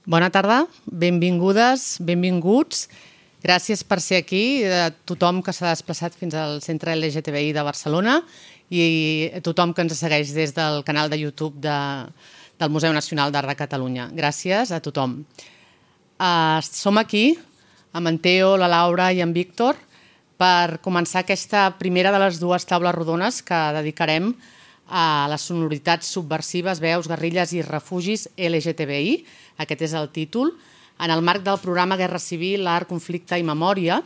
Bona tarda, benvingudes, benvinguts. Gràcies per ser aquí, a tothom que s'ha desplaçat fins al Centre LGTBI de Barcelona i a tothom que ens segueix des del canal de YouTube del Museu Nacional d'Art de Catalunya. Gràcies a tothom. Som aquí amb en Teo, la Laura i en Víctor per començar aquesta primera de les dues taules rodones que dedicarem a les sonoritats subversives, veus, guerrilles i refugis LGTBI. Aquest és el títol. En el marc del programa Guerra Civil, Art, Conflicte i Memòria,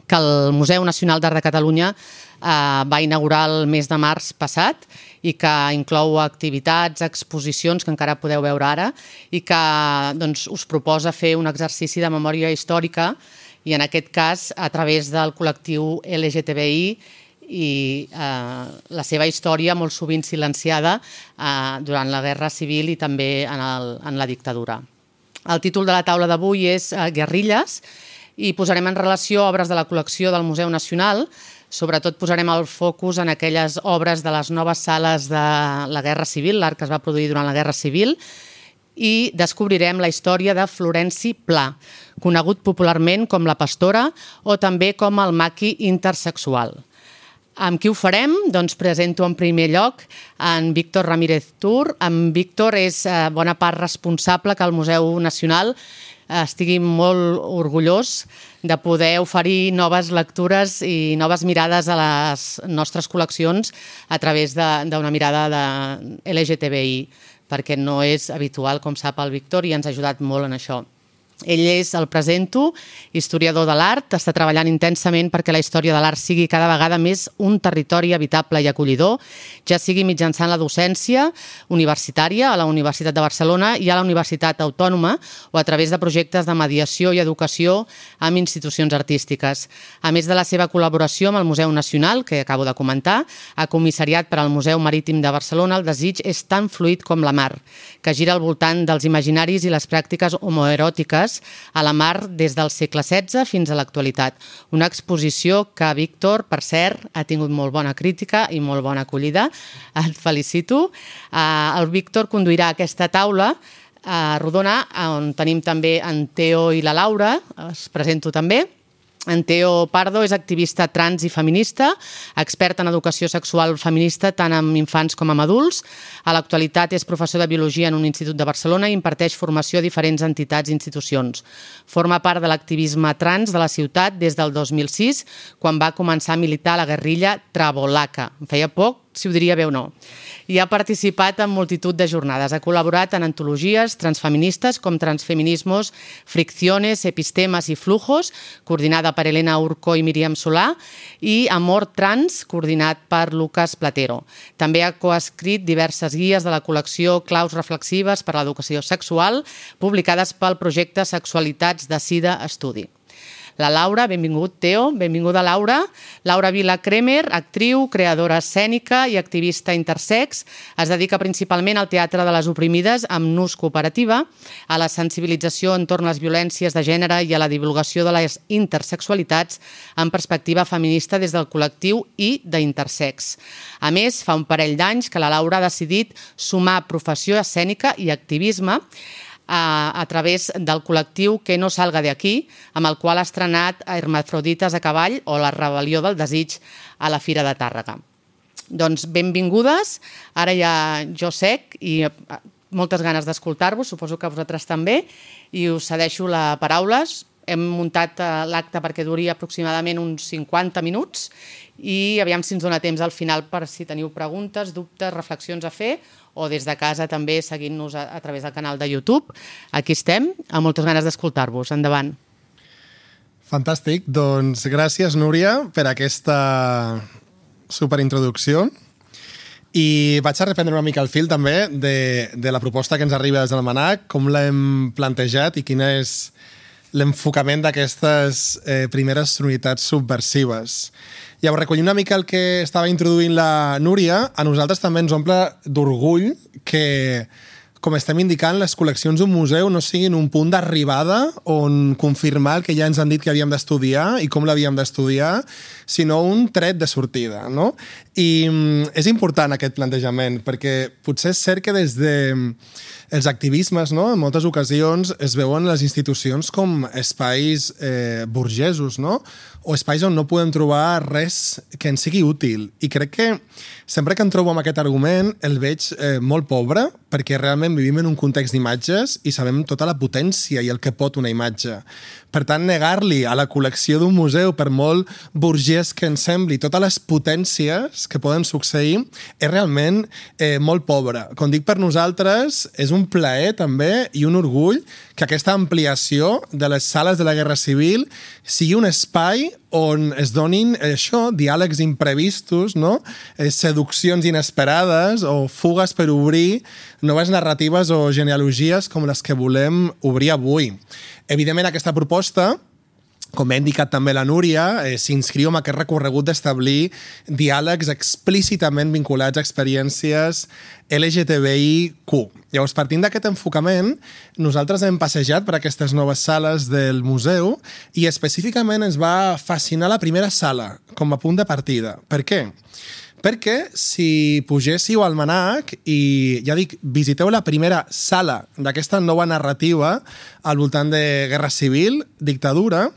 que el Museu Nacional d'Art de Catalunya va inaugurar el mes de març passat i que inclou activitats, exposicions que encara podeu veure ara i que us proposa fer un exercici de memòria històrica i en aquest cas a través del col·lectiu LGTBI i la seva història molt sovint silenciada durant la Guerra Civil i també en la dictadura. El títol de la taula d'avui és Guerrilles i posarem en relació obres de la col·lecció del Museu Nacional. Sobretot posarem el focus en aquelles obres de les noves sales de la Guerra Civil, l'art que es va produir durant la Guerra Civil, i descobrirem la història de Florenci Pla, conegut popularment com la Pastora o també com el maqui intersexual. Amb qui ho farem? Doncs presento en primer lloc en Víctor Ramírez Tur. En Víctor és bona part responsable que el Museu Nacional estigui molt orgullós de poder oferir noves lectures i noves mirades a les nostres col·leccions a través d'una mirada de LGTBI, perquè no és habitual, com sap el Víctor, i ens ha ajudat molt en això. Ell és, el presento, historiador de l'art, està treballant intensament perquè la història de l'art sigui cada vegada més un territori habitable i acollidor, ja sigui mitjançant la docència universitària a la Universitat de Barcelona i a la Universitat Autònoma o a través de projectes de mediació i educació amb institucions artístiques. A més de la seva col·laboració amb el Museu Nacional, que acabo de comentar, ha comissariat per al Museu Marítim de Barcelona El desig és tan fluid com la mar, que gira al voltant dels imaginaris i les pràctiques homoeròtiques a la mar des del segle XVI fins a l'actualitat. Una exposició que Víctor, per cert, ha tingut molt bona crítica i molt bona acollida. Et felicito. El Víctor conduirà aquesta taula rodona on tenim també en Teo i la Laura. Els presento també. En Teo Pardo és activista trans i feminista, expert en educació sexual feminista tant amb infants com amb adults. A l'actualitat és professor de biologia en un institut de Barcelona i imparteix formació a diferents entitats i institucions. Forma part de l'activisme trans de la ciutat des del 2006, quan va començar a militar a la guerrilla Travolaca. Em feia poc si ho diria bé o no. I ha participat en multitud de jornades. Ha col·laborat en antologies transfeministes com Transfeminismos, Fricciones, Epistemes i Flujos, coordinada per Elena Urco i Míriam Solà, i Amor Trans, coordinat per Lucas Platero. També ha coescrit diverses guies de la col·lecció Claus reflexives per a l'educació sexual, publicades pel projecte Sexualitats de Sida Estudi. La Laura, benvingut, Teo, benvinguda Laura. Laura Vila Kremer, actriu, creadora escènica i activista intersex. Es dedica principalment al teatre de les oprimides amb Nus Cooperativa, a la sensibilització entorn les violències de gènere i a la divulgació de les intersexualitats en perspectiva feminista des del col·lectiu i d'Intersex. A més, fa un parell d'anys que la Laura ha decidit sumar professió escènica i activisme a través del col·lectiu Que no salga de aquí, amb el qual ha estrenat Hermafrodites a cavall o La rebel·lió del desig a la Fira de Tàrrega. Doncs benvingudes, ara ja jo sec i moltes ganes d'escoltar-vos, suposo que vosaltres també, i us cedeixo la paraula. Hem muntat l'acte perquè duri aproximadament uns 50 minuts i aviam si ens dona temps al final per si teniu preguntes, dubtes, reflexions a fer o des de casa també seguint-nos a través del canal de YouTube. Aquí estem, amb moltes ganes d'escoltar-vos. Endavant. Fantàstic. Doncs gràcies, Núria, per aquesta superintroducció. I vaig a reprendre una mica el fil també de la proposta que ens arriba des del MNAC, com l'hem plantejat i quin és l'enfocament d'aquestes primeres sonoritats subversives. Llavors, recollir una mica el que estava introduint la Núria, a nosaltres també ens omple d'orgull que com estem indicant, les col·leccions d'un museu no siguin un punt d'arribada on confirmar el que ja ens han dit que havíem d'estudiar i com l'havíem d'estudiar, sinó un tret de sortida, no? I és important aquest plantejament, perquè potser és cert que des de els activismes, no? En moltes ocasions es veuen les institucions com espais burgesos, no? O espais on no podem trobar res que ens sigui útil. I crec que sempre que em trobo amb aquest argument el veig molt pobre, perquè realment vivim en un context d'imatges i sabem tota la potència i el que pot una imatge. Per tant, negar-li a la col·lecció d'un museu, per molt burgès que ens sembli, totes les potències que poden succeir, és realment molt pobre. Com dic, per nosaltres és un plaer també i un orgull que aquesta ampliació de les sales de la Guerra Civil sigui un espai on es donin diàlegs imprevistos, no? Seduccions inesperades o fugues per obrir noves narratives o genealogies com les que volem obrir avui. Evidentment, aquesta proposta, com ha indicat també la Núria, s'inscriu en aquest recorregut d'establir diàlegs explícitament vinculats a experiències LGTBIQ. Llavors, partint d'aquest enfocament, nosaltres hem passejat per aquestes noves sales del museu i específicament ens va fascinar la primera sala com a punt de partida. Per què? Perquè si pugéssiu al Manac i, ja dic, visiteu la primera sala d'aquesta nova narrativa al voltant de Guerra Civil, dictadura,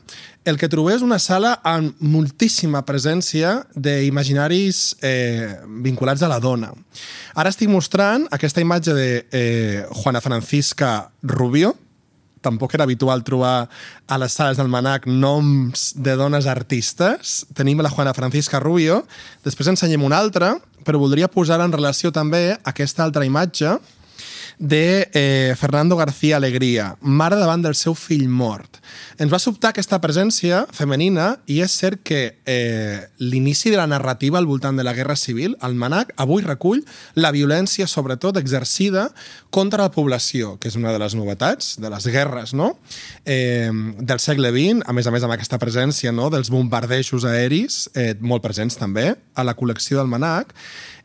el que trobeu és una sala amb moltíssima presència d'imaginaris vinculats a la dona. Ara estic mostrant aquesta imatge de Juana Francisca Rubio. Tampoc era habitual trobar a les sales del Manac noms de dones artistes. Tenim la Juana Francisca Rubio. Després ensenyem una altra, però voldria posar en relació també aquesta altra imatge de Fernando García Alegría, mare davant del seu fill mort. Ens va sobtar aquesta presència femenina i és cert que l'inici de la narrativa al voltant de la Guerra Civil, el Manac, avui recull la violència, sobretot exercida contra la població, que és una de les novetats de les guerres, no? Del segle XX, a més amb aquesta presència, no? Dels bombardejos aeris, molt presents també a la col·lecció del Manac,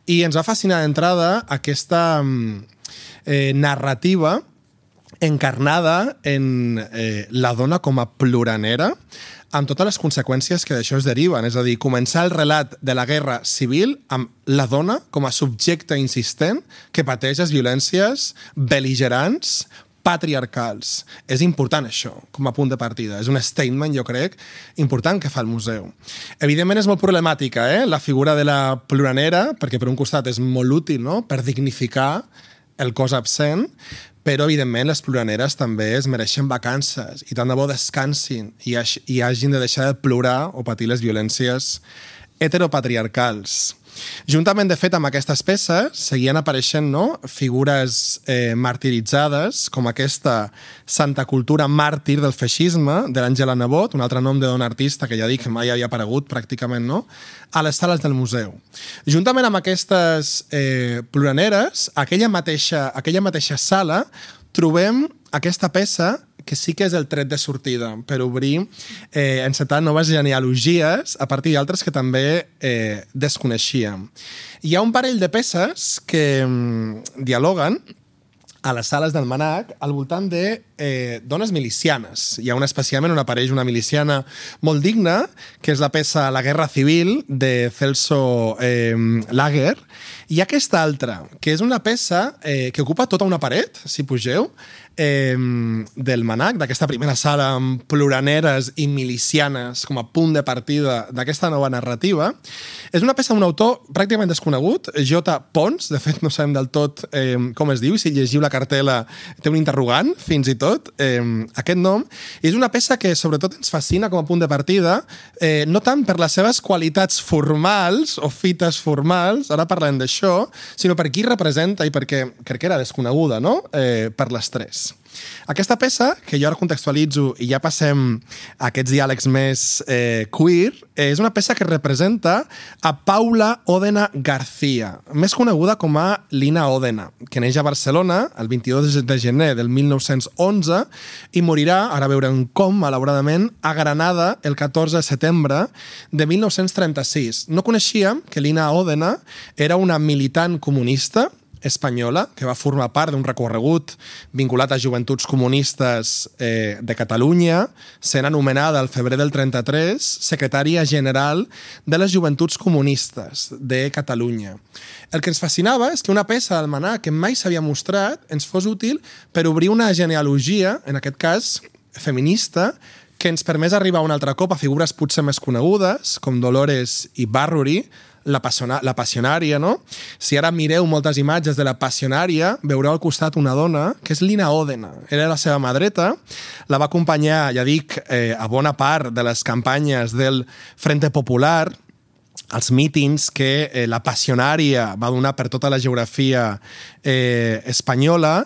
i ens va fascinar d'entrada aquesta narrativa encarnada en la dona com a ploranera, amb totes les conseqüències que d'això es deriven. És a dir, començar el relat de la Guerra Civil amb la dona com a subjecte insistent que pateix les violències bel·ligerants, patriarcals. És important això, com a punt de partida. És un statement, jo crec, important que fa el museu. Evidentment és molt problemàtica, la figura de la ploranera, perquè per un costat és molt útil, no?, per dignificar el cos absent, però, evidentment, les ploraneres també es mereixen vacances i tant de bo descansin i hagin de deixar de plorar o patir les violències heteropatriarcals. Juntament, de fet, amb aquestes peces seguien apareixent, no?, figures martiritzades, com aquesta Santa Cultura màrtir del feixisme, de l'Àngela Nebot, un altre nom de dona artista que ja dic que mai havia aparegut pràcticament, no?, a les sales del museu. Juntament amb aquestes ploraneres, aquella mateixa sala, trobem aquesta peça que sí que és el tret de sortida per obrir, encetar noves genealogies a partir d'altres que també desconeixíem. Hi ha un parell de peces que dialoguen a les sales del Manac al voltant de dones milicianes. Hi ha una especialment on apareix una miliciana molt digna, que és la peça La Guerra Civil, de Celso Lager, i aquesta altra, que és una peça que ocupa tota una paret, si pugeu, del Manac, d'aquesta primera sala amb ploraneres i milicianes com a punt de partida d'aquesta nova narrativa. És una peça d'un autor pràcticament desconegut, J. Pons, de fet no sabem del tot com es diu, si llegiu la cartel·la té un interrogant, fins i tot, aquest nom. És una peça que sobretot ens fascina com a punt de partida, no tant per les seves qualitats formals o fites formals, ara parlem d'això, sinó per qui representa i perquè crec que era desconeguda, no?, per les tres. Aquesta peça, que jo ara contextualitzo i ja passem a aquests diàlegs més queer, és una peça que representa a Paula Òdena García, més coneguda com a Lina Òdena, que neix a Barcelona el 22 de gener del 1911 i morirà, ara veurem com, malauradament, a Granada el 14 de setembre de 1936. No coneixíem que Lina Òdena era una militant comunista, espanyola, que va formar part d'un recorregut vinculat a Joventuts Comunistes de Catalunya, sent anomenada al febrer del 33 secretària general de les Joventuts Comunistes de Catalunya. El que ens fascinava és que una peça d'almanac que mai s'havia mostrat ens fos útil per obrir una genealogia, en aquest cas feminista, que ens permés arribar un altre cop a figures potser més conegudes, com Dolores Ibarruri, la passionària, no? Si ara mireu moltes imatges de la passionària, veureu al costat una dona, que és Lina Òdena. Era la seva mà dreta, la va acompanyar, ja dic, a bona part de les campanyes del Frente Popular, els mítings que la passionària va donar per tota la geografia espanyola,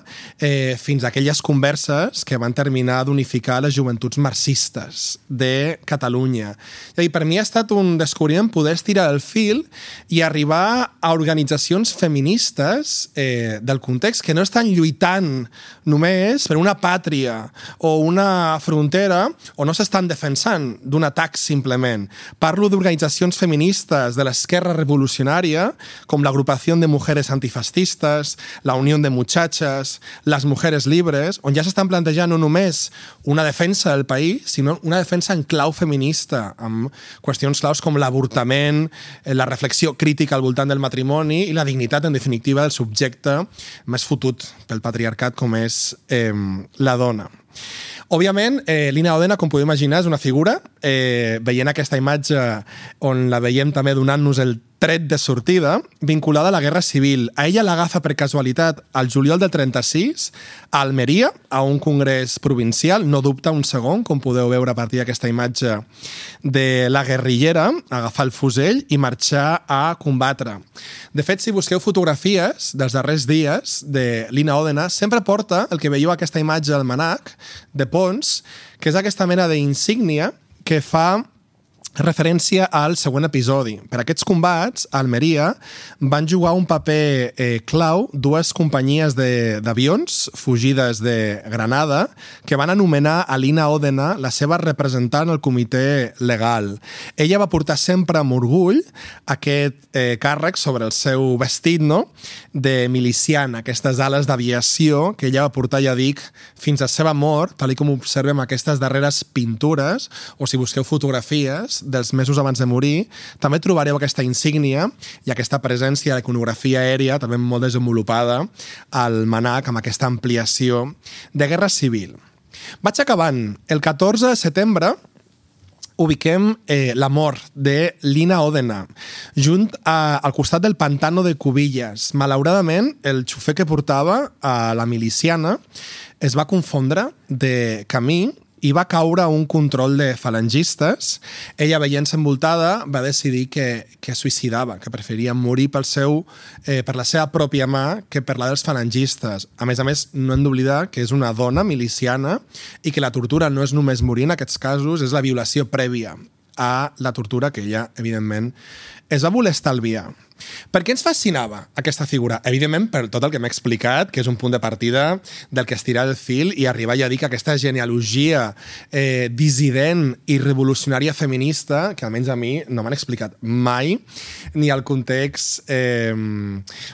fins a aquelles converses que van terminar d'unificar les joventuts marxistes de Catalunya. I per mi ha estat un descobriment poder estirar el fil i arribar a organitzacions feministes del context que no estan lluitant només per una pàtria o una frontera o no s'estan defensant d'un atac simplement. Parlo d'organitzacions feministes de l'esquerra revolucionària, com l'Agrupació de Mujeres Antifascistes, la Unió de Muchachas, les Mujeres Libres, on ja s'estan plantejant no només una defensa del país, sinó una defensa en clau feminista, amb qüestions claus com l'avortament, la reflexió crítica al voltant del matrimoni i la dignitat, en definitiva, del subjecte més fotut pel patriarcat com és la dona. Òbviament, Lina Òdena, com podeu imaginar, és una figura. Veient aquesta imatge on la veiem també donant-nos el tret de sortida, vinculada a la Guerra Civil. A ella l'agafa per casualitat al juliol del 36 a Almeria, a un congrés provincial, no dubta un segon, com podeu veure a partir d'aquesta imatge de la guerrillera, agafar el fusell i marxar a combatre. De fet, si busqueu fotografies dels darrers dies de Lina Òdena, sempre porta el que veieu aquesta imatge al manac de Pons, que és aquesta mena d'insígnia que fa referència al següent episodi. Per aquests combats, a Almeria van jugar un paper clau dues companyies d'avions fugides de Granada que van anomenar a Lina Òdena la seva representant al comitè legal. Ella va portar sempre amb orgull aquest càrrec sobre el seu vestit, no?, de miliciana, aquestes ales d'aviació que ella va portar, ja dic, fins a seva mort, tal com observem aquestes darreres pintures, o si busqueu fotografies dels mesos abans de morir, també trobareu aquesta insígnia i aquesta presència de l'iconografia aèria, també molt desenvolupada al manac, amb aquesta ampliació de Guerra Civil. Vaig acabant. El 14 de setembre ubiquem la mort de Lina Òdena, al costat del pantano de Cubillas. Malauradament, el xofer que portava a la miliciana es va confondre de camí i va caure a un control de falangistes. Ella, veient-se envoltada, va decidir que es suïcidava, que preferia morir per la seva pròpia mà que per la dels falangistes. A més, no hem d'oblidar que és una dona miliciana i que la tortura no és només morir en aquests casos, és la violació prèvia a la tortura que ella, evidentment, es va voler estalviar. Per què ens fascinava aquesta figura? Evidentment, per tot el que m'he explicat, que és un punt de partida del que estirar el fil i arribar ja a dir que aquesta genealogia dissident i revolucionària feminista, que almenys a mi no m'han explicat mai, ni al context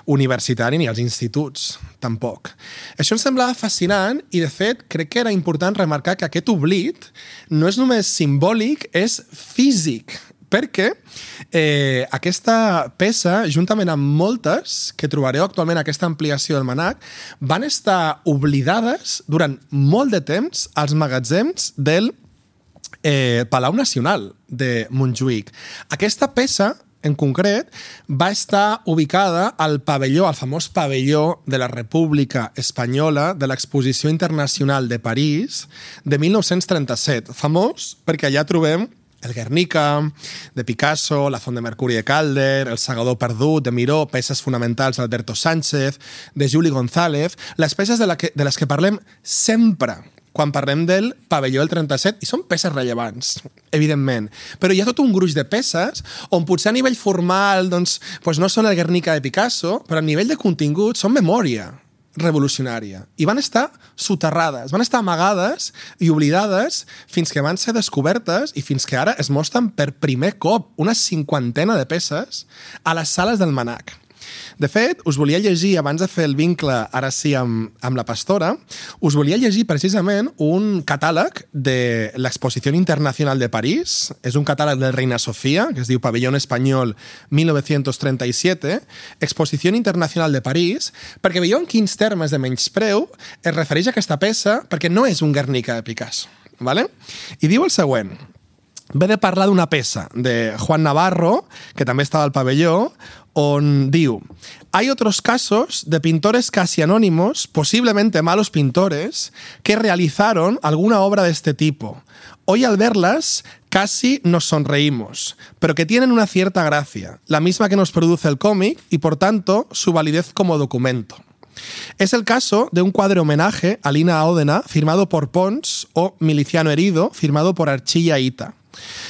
universitari ni als instituts, tampoc. Això em semblava fascinant i, de fet, crec que era important remarcar que aquest oblit no és només simbòlic, és físic, perquè aquesta peça, juntament amb moltes que trobareu actualment en aquesta ampliació del manac, van estar oblidades durant molt de temps als magatzems del Palau Nacional de Montjuïc. Aquesta peça, en concret, va estar ubicada al pavelló, al famós pavelló de la República Espanyola de l'Exposició Internacional de París de 1937. Famós perquè allà trobem el Guernica, de Picasso, la Font de Mercuri de Calder, el Segador Perdut, de Miró, peces fonamentals d'Alberto Sánchez, de Juli González, les peces de les que parlem sempre quan parlem del pavelló del 37, i són peces rellevants, evidentment. Però hi ha tot un gruix de peces on potser a nivell formal doncs no són el Guernica de Picasso, però a nivell de contingut són memòria revolucionària. I van estar soterrades, van estar amagades i oblidades fins que van ser descobertes i fins que ara es mostren per primer cop una 50 de peces a les sales del manac. De fet, us volia llegir, abans de fer el vincle, ara sí, amb la Pastora, us volia llegir precisament un catàleg de l'Exposició Internacional de París. És un catàleg de Reina Sofía, que es diu Pabellón Espanyol 1937, Exposició Internacional de París, perquè veieu en quins termes de menyspreu es refereix a aquesta peça, perquè no és un Guernica de Picasso. ¿Vale? I diu el següent. Ve de parlar d'una peça de Juan Navarro, que també estava al pabelló, on diu: hay otros casos de pintores casi anónimos, posiblemente malos pintores, que realizaron alguna obra de este tipo. Hoy al verlas casi nos sonreímos, pero que tienen una cierta gracia, la misma que nos produce el cómic y por tanto su validez como documento. Es el caso de un cuadro homenaje a Lina Òdena firmado por Pons o Miliciano Herido firmado por Archilla Ita.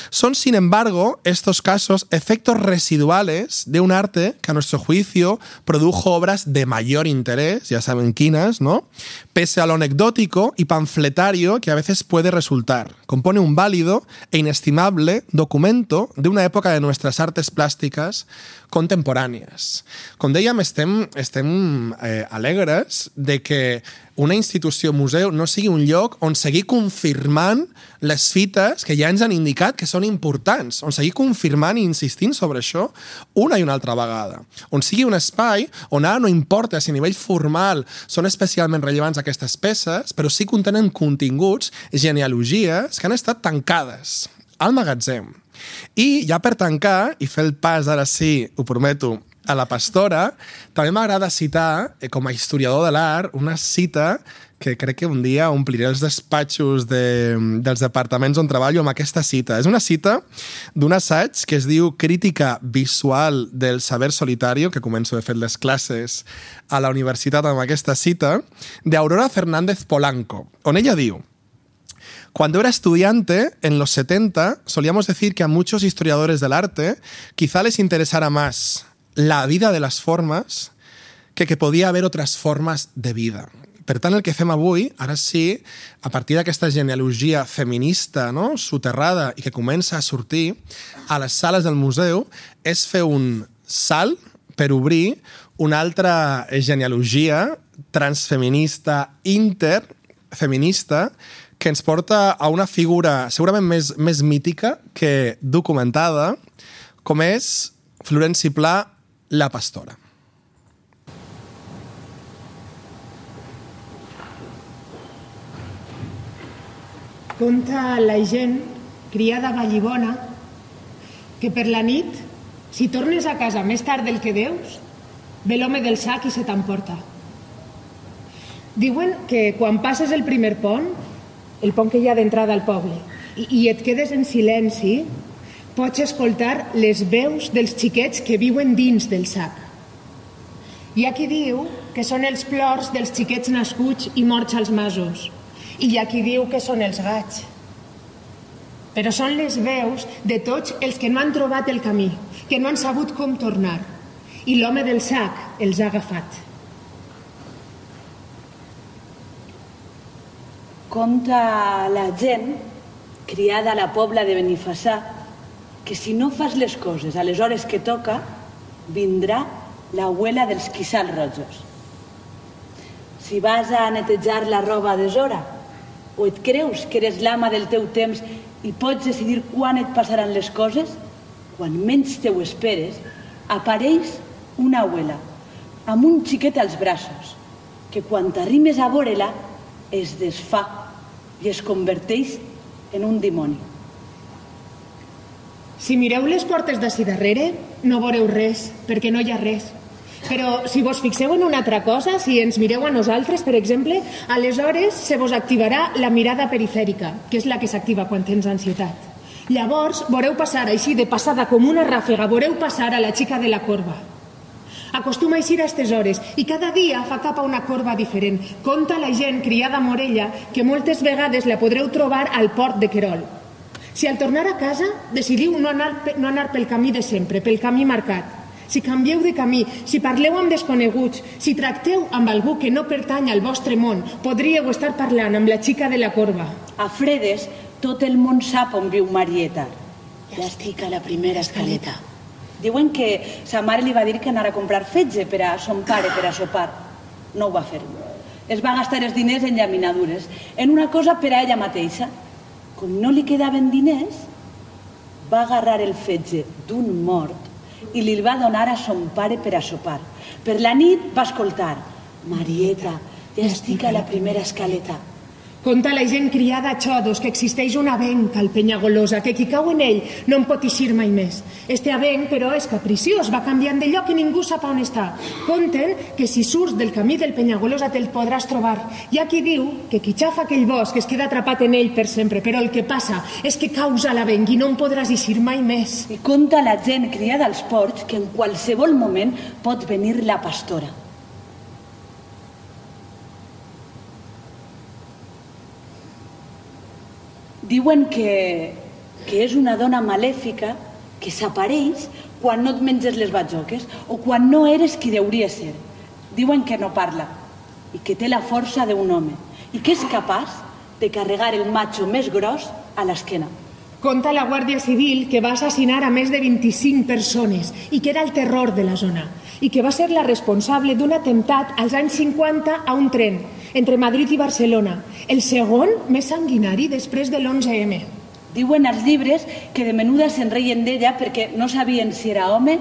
Son, sin embargo, estos casos efectos residuales de un arte que a nuestro juicio produjo obras de mayor interés, ya saben quinas, ¿no? Pese a lo anecdótico y panfletario que a veces puede resultar. Compone un válido e inestimable documento de una época de nuestras artes plàstiques contemporànies. Com dèiem, estem alegres de que una institució museu no sigui un lloc on seguir confirmant les fites que ja ens han indicat que són importants, on seguir confirmant i insistint sobre això una i una altra vegada, on sigui un espai on ara no importa si a nivell formal són especialment rellevants aquestes peces, però sí contenen continguts, genealogies que han estat tancades al magatzem. I ja per tancar, i fer el pas, ara sí, ho prometo, a la Pastora, també m'agrada citar, com a historiador de l'art, una cita que crec que un dia ompliré els despatxos dels departaments on treballo amb aquesta cita. És una cita d'un assaig que es diu Crítica visual del saber solitario, que començo de fer les classes a la universitat amb aquesta cita, d'Aurora Fernández Polanco, on ella diu: cuando era estudiante, en los 70, solíamos decir que a muchos historiadores del arte quizá les interesara más la vida de las formas que podía haber otras formas de vida. Per tant, el que fem avui, ara sí, a partir d'aquesta genealogia feminista, no?, soterrada i que comença a sortir a les sales del museu, és fer un salt per obrir una altra genealogia transfeminista, interfeminista, que ens porta a una figura segurament més mítica que documentada, com és Florenci Pla, la Pastora. Conta la gent, criada vallibona, que per la nit, si tornes a casa més tard del que deus, ve l'home del sac i se t'emporta. Diuen que quan passes el primer pont, el pont que hi ha d'entrada al poble, i et quedes en silenci, pots escoltar les veus dels xiquets que viuen dins del sac. Hi ha qui diu que són els plors dels xiquets nascuts i morts als masos, i hi ha qui diu que són els gats. Però són les veus de tots els que no han trobat el camí, que no han sabut com tornar, i l'home del sac els ha agafat. Conta la gent, criada a la Pobla de Benifassà, que si no fas les coses a les hores que toca, vindrà l'abuela dels quissals rojos. Si vas a netejar la roba a deshora, o et creus que eres l'ama del teu temps i pots decidir quan et passaran les coses, quan menys te ho esperes, apareix una abuela amb un xiquet als braços, que quan t'arrimes a vore-la es desfà i es converteix en un dimoni. Si mireu les portes d'ací darrere, no veureu res, perquè no hi ha res. Però si vos fixeu en una altra cosa, si ens mireu a nosaltres, per exemple, aleshores se vos activarà la mirada perifèrica, que és la que s'activa quan tens ansietat. Llavors, veureu passar així de passada com una ràfega, veureu passar a la xica de la corba. Acostuma a eixir a aquestes hores i cada dia fa cap a una corba diferent. Conta la gent criada a Morella que moltes vegades la podreu trobar al port de Querol. Si al tornar a casa decidiu no anar pel camí de sempre, pel camí marcat, si canvieu de camí, si parleu amb desconeguts, si tracteu amb algú que no pertany al vostre món, podríeu estar parlant amb la xica de la corba. A fredes, tot el món sap on viu Marieta. Ja estic a la primera escaleta. Diuen que sa mare li va dir que anara a comprar fetge per a son pare, per a sopar. No ho va fer. Es va gastar els diners en llaminadures, en una cosa per a ella mateixa. Com no li quedaven diners, va agarrar el fetge d'un mort i li va donar a son pare per a sopar. Per la nit va escoltar: Marieta, ja estic a la primera escaleta. Conta la gent criada a Xodos que existeix un avenc al Penyagolosa, que qui cau en ell no en pot eixir mai més. Este avenc, però, és capriciós, va canviant de lloc i ningú sap on està. Conten que si surts del camí del Penyagolosa te'l podràs trobar. Hi ha qui diu que qui xafa aquell bosc es queda atrapat en ell per sempre, però el que passa és que causa l'avenc i no en podràs eixir mai més. I conta la gent criada als ports que en qualsevol moment pot venir la pastora. Diuen que és una dona malèfica que s'apareix quan no et menges les batjoques o quan no eres qui deuria ser. Diuen que no parla i que té la força d'un home i que és capaç de carregar el macho més gros a l'esquena. Conta la Guàrdia Civil que va assassinar a més de 25 persones i que era el terror de la zona i que va ser la responsable d'un atemptat als anys 50 a un tren entre Madrid i Barcelona, el segon més sanguinari després de l'11M. Diuen als llibres que de menuda se'n reien d'ella perquè no sabien si era home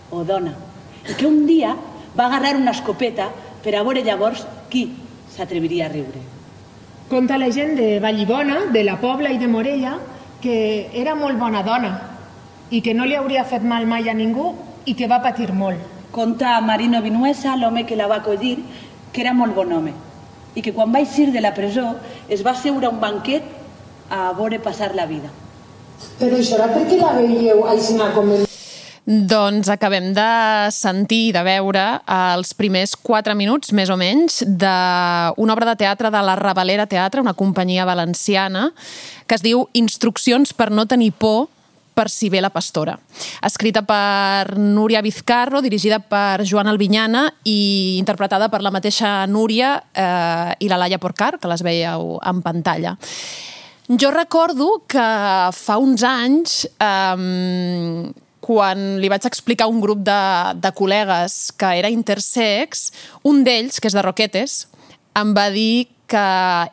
o dona i que un dia va agarrar una escopeta per a veure llavors qui s'atreviria a riure. Conta la gent de Vallibona, de la Pobla i de Morella, que era molt bona dona i que no li hauria fet mal mai a ningú i que va patir molt. Conta Marino Vinuesa, l'home que la va acollir, que era molt bon home i que quan va eixir de la presó es va seure a un banquet a veure passar la vida. Però això era perquè la veieu aixina com el... Doncs acabem de sentir i de veure els primers 4 minuts, més o menys, d'una obra de teatre de la Ravalera Teatre, una companyia valenciana, que es diu Instruccions per no tenir por, per si ve la pastora. Escrita per Núria Vizcarro, dirigida per Joan Albinyana i interpretada per la mateixa Núria i la Laia Porcar, que les veieu en pantalla. Jo recordo que fa uns anys, quan li vaig explicar a un grup de col·legues que era intersex, un d'ells, que és de Roquetes, em va dir que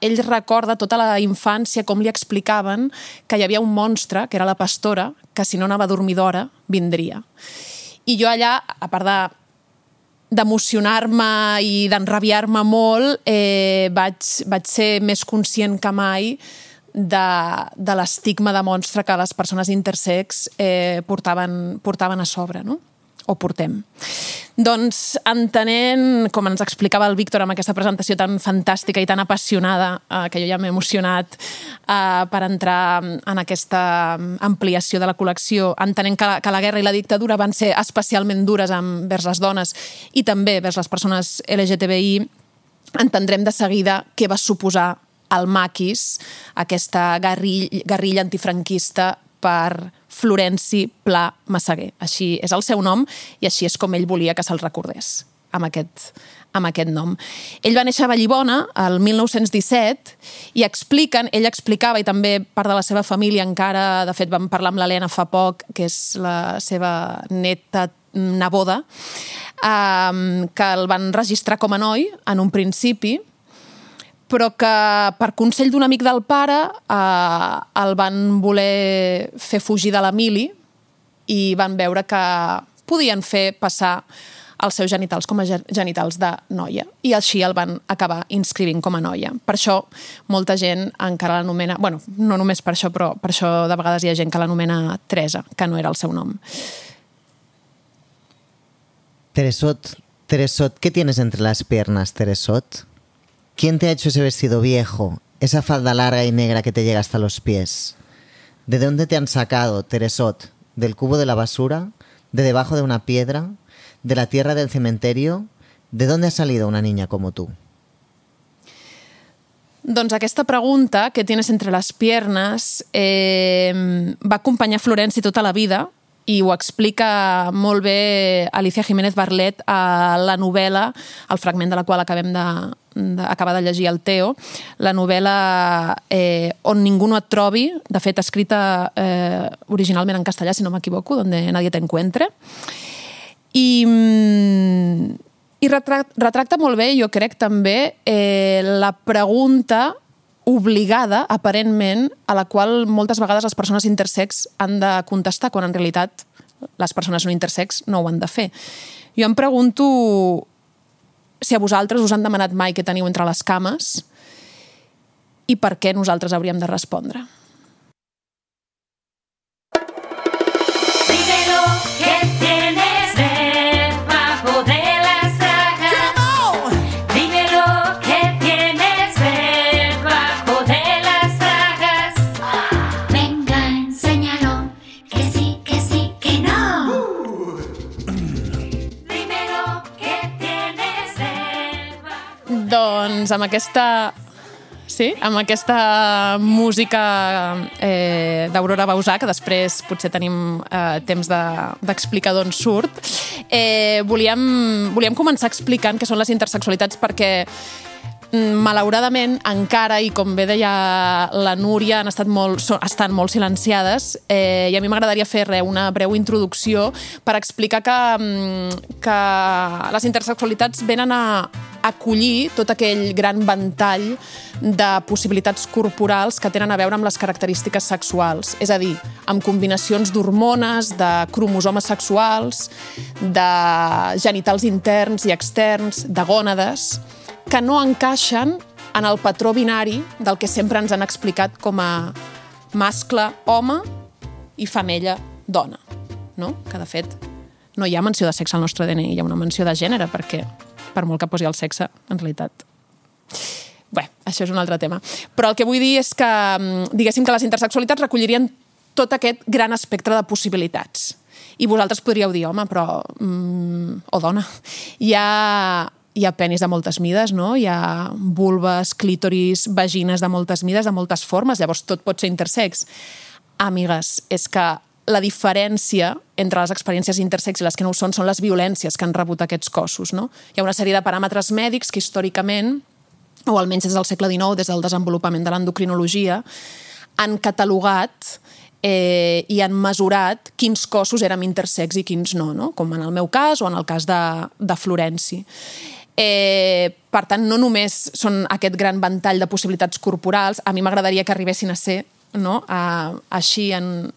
ell recorda tota la infància com li explicaven que hi havia un monstre, que era la pastora, que si no anava a dormir d'hora, vindria. I jo allà, a part d'emocionar-me i d'enrabiar-me molt, vaig ser més conscient que mai de l'estigma de monstre que les persones intersex portaven a sobre, no? O portem. Doncs entenent, com ens explicava el Víctor amb aquesta presentació tan fantàstica i tan apassionada, que jo ja m'he emocionat per entrar en aquesta ampliació de la col·lecció, entenent que la guerra i la dictadura van ser especialment dures envers les dones i també vers les persones LGTBI, entendrem de seguida què va suposar el maquis, aquesta guerrilla antifranquista per Florenci Pla Massaguer. Així és el seu nom i així és com ell volia que se'l recordés, amb aquest nom. Ell va néixer a Vallibona el 1917 i ell explicava, i també part de la seva família encara, de fet vam parlar amb l'Helena fa poc, que és la seva neboda, que el van registrar com a noi en un principi, però que per consell d'un amic del pare el van voler fer fugir de la mili i van veure que podien fer passar els seus genitals com a genitals de noia i així el van acabar inscrivint com a noia. Per això molta gent encara l'anomena, bueno, no només per això, però per això de vegades hi ha gent que l'anomena Teresa, que no era el seu nom. Teresot, ¿qué tienes entre las piernas, Teresot? ¿Quién te ha hecho ese vestido viejo? Esa falda larga y negra que te llega hasta los pies. ¿De dónde te han sacado, Teresot? ¿Del cubo de la basura? ¿De debajo de una piedra? ¿De la tierra del cementerio? ¿De dónde ha salido una niña como tú? Doncs aquesta pregunta, què tienes entre les piernas, va acompanyar Florenci tota la vida i ho explica molt bé Alicia Jiménez Barlet a la novel·la, el fragment de la qual acabem acaba de llegir el Teo, la novel·la On ningú no et trobi, de fet escrita originalment en castellà, si no m'equivoco, Donde nadie te encuentre. I retracta molt bé, jo crec també, la pregunta obligada, aparentment, a la qual moltes vegades les persones intersex han de contestar, quan en realitat les persones no intersex no ho han de fer. Jo em pregunto si a vosaltres us han demanat mai què teniu entre les cames i per què nosaltres hauríem de respondre. Doncs amb aquesta música d'Aurora Bauzà, que després potser tenim temps d'explicar d'on surt, volíem començar explicant què són les intersexualitats, perquè malauradament encara, i com bé deia la Núria, estan molt silenciades, i a mi m'agradaria fer una breu introducció per explicar que les intersexualitats venen a acollir tot aquell gran ventall de possibilitats corporals que tenen a veure amb les característiques sexuals, és a dir, amb combinacions d'hormones, de cromosomes sexuals, de genitals interns i externs, de gònades, que no encaixen en el patró binari del que sempre ens han explicat com a mascle, home i femella, dona. No? Que, de fet, no hi ha menció de sexe al nostre DNI, hi ha una menció de gènere, perquè per molt que posi el sexe, en realitat. Bé, això és un altre tema. Però el que vull dir és que, diguéssim que les intersexualitats recollirien tot aquest gran espectre de possibilitats. I vosaltres podríeu dir, home, però... o dona. Hi ha penis de moltes mides, no? Hi ha vulves, clítoris, vagines de moltes mides, de moltes formes, llavors tot pot ser intersex. Amigues, és que la diferència entre les experiències intersex i les que no ho són les violències que han rebut aquests cossos, no? Hi ha una sèrie de paràmetres mèdics que històricament, o almenys des del segle XIX, des del desenvolupament de l'endocrinologia, han catalogat i han mesurat quins cossos érem intersex i quins no, no? Com en el meu cas o en el cas de Florenci. Per tant, no només són aquest gran ventall de possibilitats corporals, a mi m'agradaria que arribessin a ser, no? Així en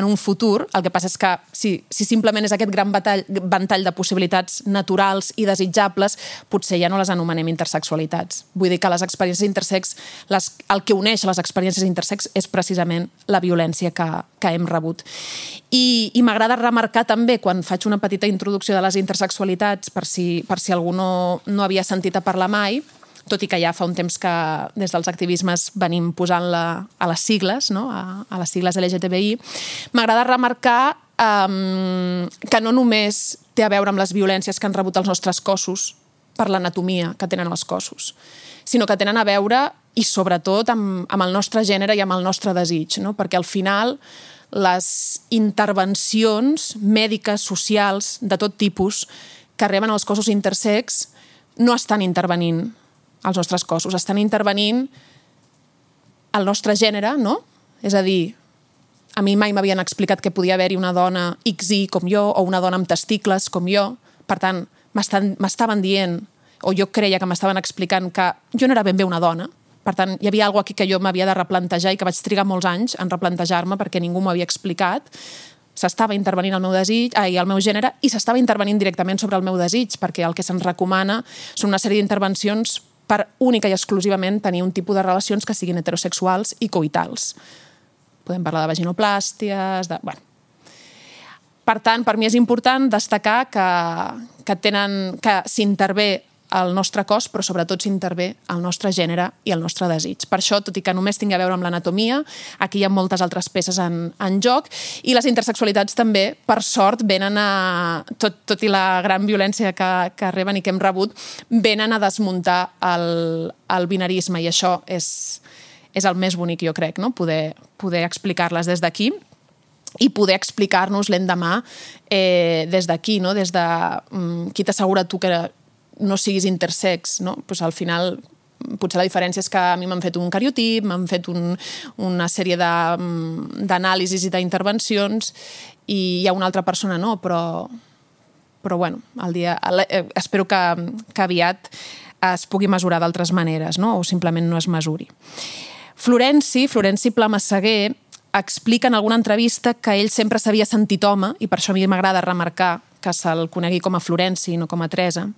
un futur. El que passa és que si simplement és aquest gran ventall de possibilitats naturals i desitjables, potser ja no les anomenem intersexualitats. Vull dir que les experiències intersex, el que uneix les experiències intersex és precisament la violència que hem rebut. I m'agrada remarcar també, quan faig una petita introducció de les intersexualitats, per si algú no havia sentit a parlar mai, tot i que ja fa un temps que des dels activismes venim posant-la a les sigles, no? A les sigles LGTBI, m'agrada remarcar que no només té a veure amb les violències que han rebut els nostres cossos per l'anatomia que tenen els cossos, sinó que tenen a veure, i sobretot, amb el nostre gènere i amb el nostre desig, no? Perquè al final les intervencions mèdiques, socials, de tot tipus, que reben els cossos intersex, no estan intervenint als nostres cossos, estan intervenint el nostre gènere, no? És a dir, a mi mai m'havien explicat que podia haver-hi una dona XY com jo o una dona amb testicles com jo. Per tant, m'estaven dient, o jo creia que m'estaven explicant que jo no era ben bé una dona. Per tant, hi havia alguna cosa aquí que jo m'havia de replantejar i que vaig trigar molts anys en replantejar-me perquè ningú m'ho havia explicat. S'estava intervenint el meu desig, el meu gènere, i s'estava intervenint directament sobre el meu desig, perquè el que se'ns recomana són una sèrie d'intervencions per única i exclusivament tenir un tipus de relacions que siguin heterosexuals i coitals. Podem parlar de vaginoplàsties, Bueno. Per tant, per mi és important destacar que s'intervé el nostre cos, però sobretot s'intervé el nostre gènere i el nostre desig. Per això, tot i que només tingui a veure amb l'anatomia, aquí hi ha moltes altres peces en joc, i les intersexualitats també, per sort, venen a... Tot i la gran violència que reben i que hem rebut, venen a desmuntar el binarisme, i això és el més bonic, jo crec, no? Poder explicar-les des d'aquí i poder explicar-nos l'endemà des d'aquí, no? Des de qui t'assegura tu que no siguis intersex, no? Pues al final potser la diferència és que a mi m'han fet un cariotip, m'han fet una sèrie d'anàlisis i d'intervencions i hi ha una altra persona no, però bueno, espero que aviat es pugui mesurar d'altres maneres, no? O simplement no es mesuri. Florenci Pla Massaguer explica en alguna entrevista que ell sempre s'havia sentit home, i per això a mi m'agrada remarcar que se'l conegui com a Florenci i no com a Teresa,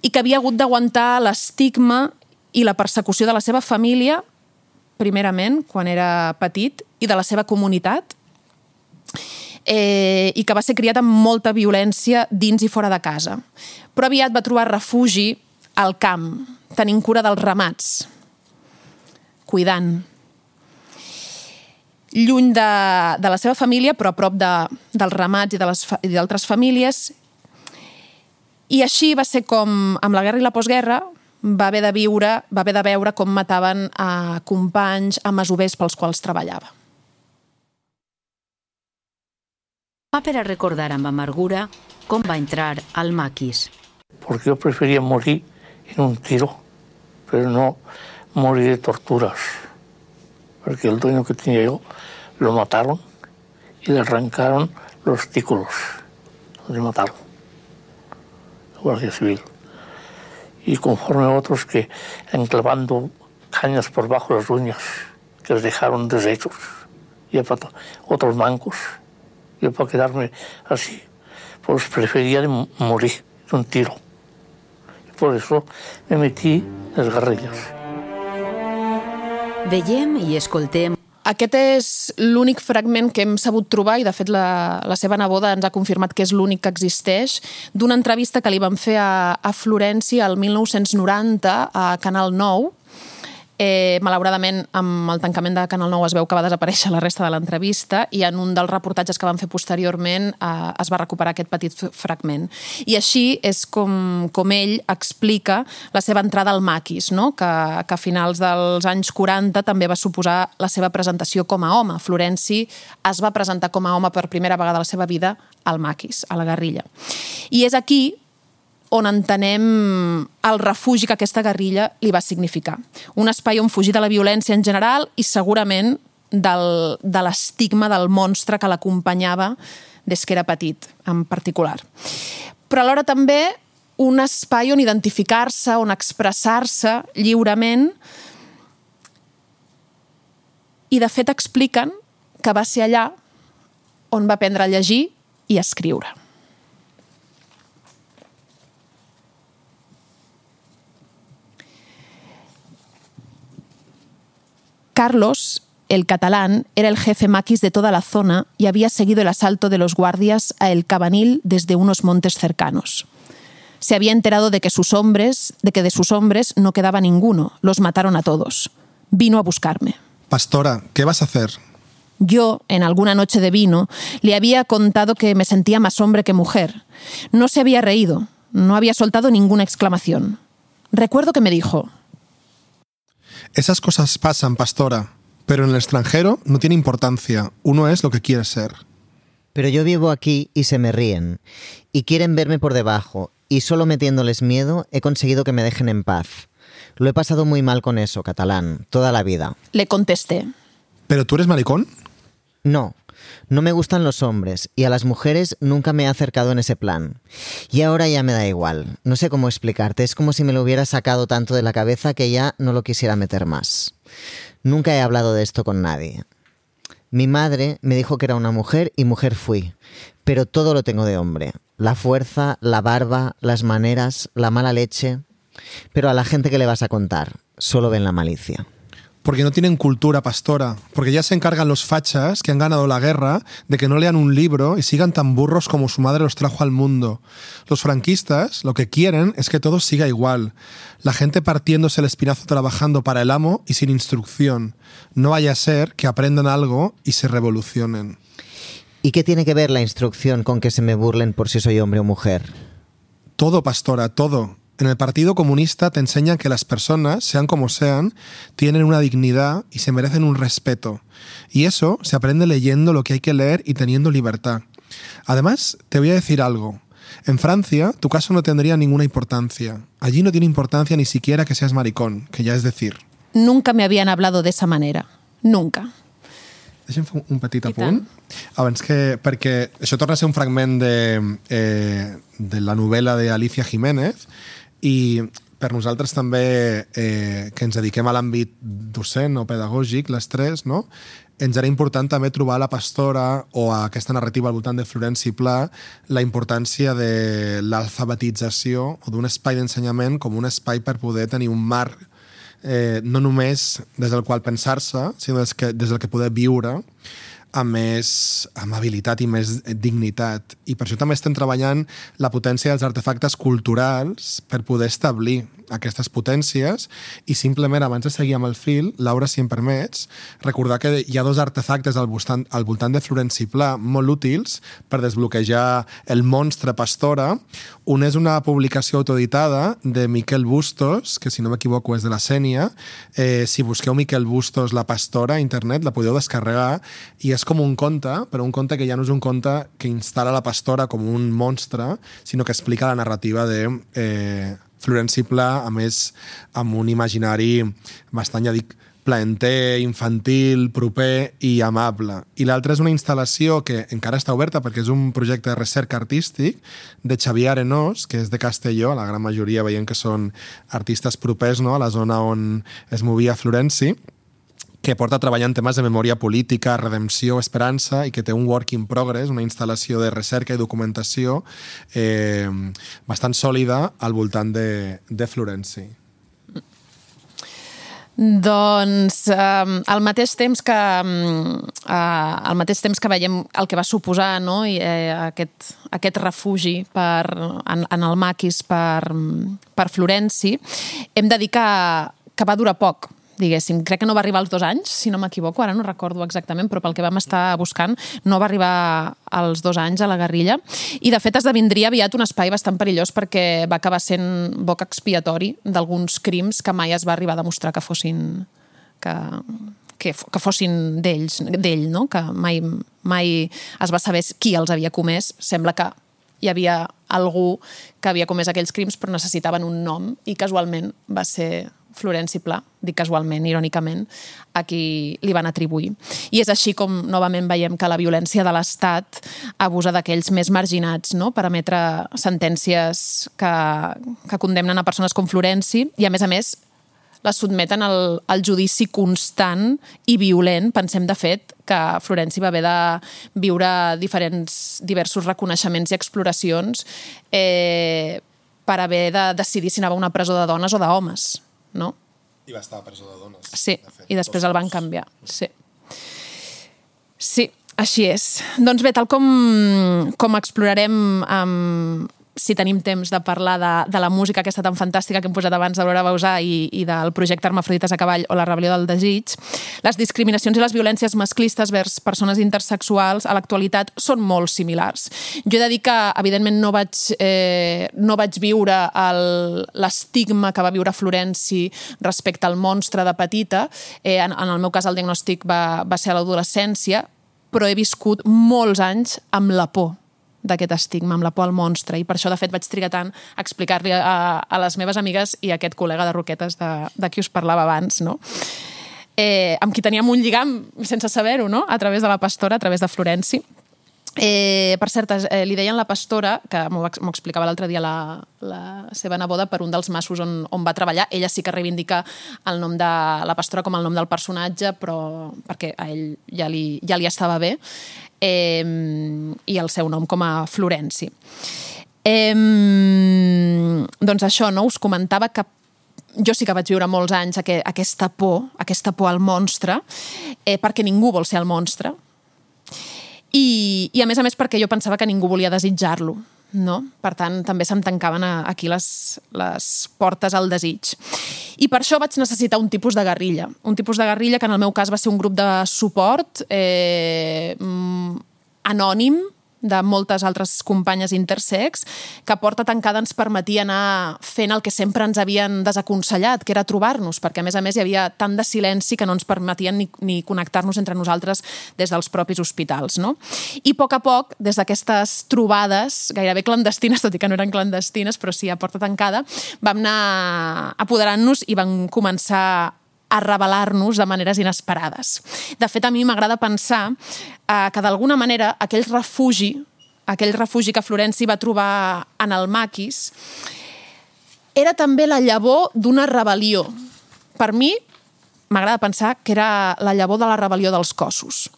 i que havia hagut d'aguantar l'estigma i la persecució de la seva família, primerament, quan era petit, i de la seva comunitat, i que va ser criat amb molta violència dins i fora de casa. Però aviat va trobar refugi al camp, tenint cura dels ramats, cuidant. Lluny de la seva família, però a prop dels ramats i d'altres famílies. I així va ser com, amb la guerra i la postguerra, va haver de veure com mataven a companys, a masovers pels quals treballava. Per a recordar amb amargura com va entrar al maquis. Porque yo prefería morir en un tiro, pero no morir de torturas. Porque el dueño que tenía yo lo mataron y le arrancaron los testículos. Le mataron. La Guardia Civil. Y conforme a otros que enclavando cañas por bajo las uñas, que les dejaron deshechos, y otros mancos. Yo para quedarme así, pues prefería morir de un tiro. Y por eso me metí en les guerrilles. Veiem i escoltem. Aquest és l'únic fragment que hem sabut trobar, i de fet la seva neboda ens ha confirmat que és l'únic que existeix, d'una entrevista que li van fer a Florenci el 1990 a Canal 9. Malauradament, amb el tancament de Canal 9 es veu que va desaparèixer la resta de l'entrevista i en un dels reportatges que van fer posteriorment es va recuperar aquest petit fragment. I així és com ell explica la seva entrada al maquis, no? Que a finals dels anys 40 també va suposar la seva presentació com a home. Florenci es va presentar com a home per primera vegada a la seva vida al maquis, a la guerrilla. I és aquí on entenem el refugi que aquesta guerrilla li va significar. Un espai on fugir de la violència en general i segurament de l'estigma del monstre que l'acompanyava des que era petit, en particular. Però alhora també un espai on identificar-se, on expressar-se lliurement, i de fet expliquen que va ser allà on va aprendre a llegir i a escriure. Carlos, el catalán, era el jefe maquis de toda la zona y había seguido el asalto de los guardias a El Cabanil desde unos montes cercanos. Se había enterado de que de sus hombres no quedaba ninguno, los mataron a todos. Vino a buscarme. Pastora, ¿qué vas a hacer? Yo, en alguna noche de vino, le había contado que me sentía más hombre que mujer. No se había reído, no había soltado ninguna exclamación. Recuerdo que me dijo: Esas cosas pasan, pastora, pero en el extranjero no tiene importancia. Uno es lo que quiere ser. Pero yo vivo aquí y se me ríen. Y quieren verme por debajo. Y solo metiéndoles miedo he conseguido que me dejen en paz. Lo he pasado muy mal con eso, catalán, toda la vida. Le contesté. ¿Pero tú eres maricón? No, no me gustan los hombres y a las mujeres nunca me he acercado en ese plan. Y ahora ya me da igual. No sé cómo explicarte, es como si me lo hubiera sacado tanto de la cabeza que ya no lo quisiera meter más. Nunca he hablado de esto con nadie. Mi madre me dijo que era una mujer y mujer fui, pero todo lo tengo de hombre. La fuerza, la barba, las maneras, la mala leche. Pero a la gente, ¿qué le vas a contar? Solo ven la malicia. Porque no tienen cultura, pastora. Porque ya se encargan los fachas que han ganado la guerra de que no lean un libro y sigan tan burros como su madre los trajo al mundo. Los franquistas lo que quieren es que todo siga igual. La gente partiéndose el espinazo trabajando para el amo y sin instrucción. No vaya a ser que aprendan algo y se revolucionen. ¿Y qué tiene que ver la instrucción con que se me burlen por si soy hombre o mujer? Todo, pastora, todo. En el Partido Comunista te enseñan que las personas, sean como sean, tienen una dignidad y se merecen un respeto. Y eso se aprende leyendo lo que hay que leer y teniendo libertad. Además, te voy a decir algo. En Francia, tu caso no tendría ninguna importancia. Allí no tiene importancia ni siquiera que seas maricón, que ya es decir. Nunca me habían hablado de esa manera. Nunca. Deixa'm fer un petit apunt. Abans que... Perquè això torna a ser un fragment de la novel·la d'Alicia Jiménez i per nosaltres també que ens dediquem a l'àmbit docent o pedagògic, les tres, no? Ens era important també trobar a la Pastora o a aquesta narrativa al voltant de Florenci Pla la importància de l'alfabetització o d'un espai d'ensenyament com un espai per poder tenir un marc no només des del qual pensar-se, sinó des del que poder viure amb més amabilitat i més dignitat. I per això també estem treballant la potència dels artefactes culturals per poder establir aquestes potències i simplement, abans de seguir amb el fil, Laura, si em permets, recordar que hi ha dos artefactes al voltant de Florenci Pla molt útils per desbloquejar el monstre Pastora. Un és una publicació autoeditada de Miquel Bustos, que si no m'equivoco és de la Sénia. Si busqueu Miquel Bustos La Pastora a internet la podeu descarregar i és com un conte, però un conte que ja no és un conte que instal·la la Pastora com un monstre, sinó que explica la narrativa de Florenci Pla, a més, amb un imaginari bastant, ja dic, plaenter, infantil, proper i amable. I l'altra és una instal·lació que encara està oberta perquè és un projecte de recerca artístic de Xavier Arenós, que és de Castelló, la gran majoria veiem que són artistes propers, no?, a la zona on es movia Florenci, que porta treballant temes de memòria política, redempció, esperança, i que té un work in progress, una instal·lació de recerca i documentació bastant sòlida al voltant de Florenci. Doncs al mateix temps que veiem el que va suposar, no? aquest refugi en el maquis per Florenci, hem de dir que va durar poc, diguéssim. Crec que no va arribar als 2 anys, si no m'equivoco, ara no recordo exactament, però pel que vam estar buscant no va arribar als 2 anys a la guerrilla. I, de fet, esdevindria aviat un espai bastant perillós perquè va acabar sent boc expiatori d'alguns crims que mai es va arribar a demostrar que fossin d'ell, no? Que mai es va saber qui els havia comès. Sembla que hi havia algú que havia comès aquells crims però necessitaven un nom i casualment va ser Florenci Pla, dic casualment, irònicament, a qui li van atribuir. I és així com novament veiem que la violència de l'Estat abusa d'aquells més marginats, no?, per emetre sentències que condemnen a persones com Florenci i, a més, les sotmeten al judici constant i violent. Pensem, de fet, que Florenci va haver de viure diversos reconeixements i exploracions per haver de decidir si anava a una presó de dones o d'homes, no? I va estar a presó de dones. Sí, i després el van canviar. Sí, així és. Doncs bé, tal com explorarem si tenim temps de parlar de la música aquesta tan fantàstica que hem posat abans d'Aurora Bauzà i del projecte Hermafrodites a cavall o la rebel·lió del desig, les discriminacions i les violències masclistes vers persones intersexuals a l'actualitat són molt similars. Jo he de dir que, evidentment, no vaig viure l'estigma que va viure Florenci respecte al monstre de petita. En el meu cas, el diagnòstic va ser a l'adolescència, però he viscut molts anys amb la por d'aquest estigma, amb la por al monstre, i per això, de fet, vaig trigar tant a explicar-li a les meves amigues i a aquest col·lega de Roquetes de qui us parlava abans, no? Amb qui teníem un lligam sense saber-ho, no?, a través de la Pastora, a través de Florenci. Per cert, li deien la Pastora, que m'ho explicava l'altre dia la seva neboda, per un dels masos on va treballar. Ella sí que reivindica el nom de la Pastora com el nom del personatge, però perquè a ell ja li estava bé, i el seu nom com a Florenci. Doncs això, no? Us comentava que jo sí que vaig viure molts anys aquesta por al monstre, perquè ningú vol ser el monstre, i a més perquè jo pensava que ningú volia desitjar-lo, no? Per tant, també se'm tancaven aquí les portes al desig. I per això vaig necessitar un tipus de guerrilla. Un tipus de guerrilla que en el meu cas va ser un grup de suport anònim, de moltes altres companyes intersex, que a porta tancada ens permetia anar fent el que sempre ens havien desaconsellat, que era trobar-nos, perquè a més hi havia tant de silenci que no ens permetien ni connectar-nos entre nosaltres des dels propis hospitals, no? I a poc, des d'aquestes trobades, gairebé clandestines, tot i que no eren clandestines, però sí a porta tancada, vam anar apoderant-nos i vam començar a revelar-nos de maneres inesperades. De fet, a mi m'agrada pensar que d'alguna manera aquell refugi que Florenci va trobar en el maquis era també la llavor d'una rebel·lió. Per mi, m'agrada pensar que era la llavor de la rebel·lió dels cossos.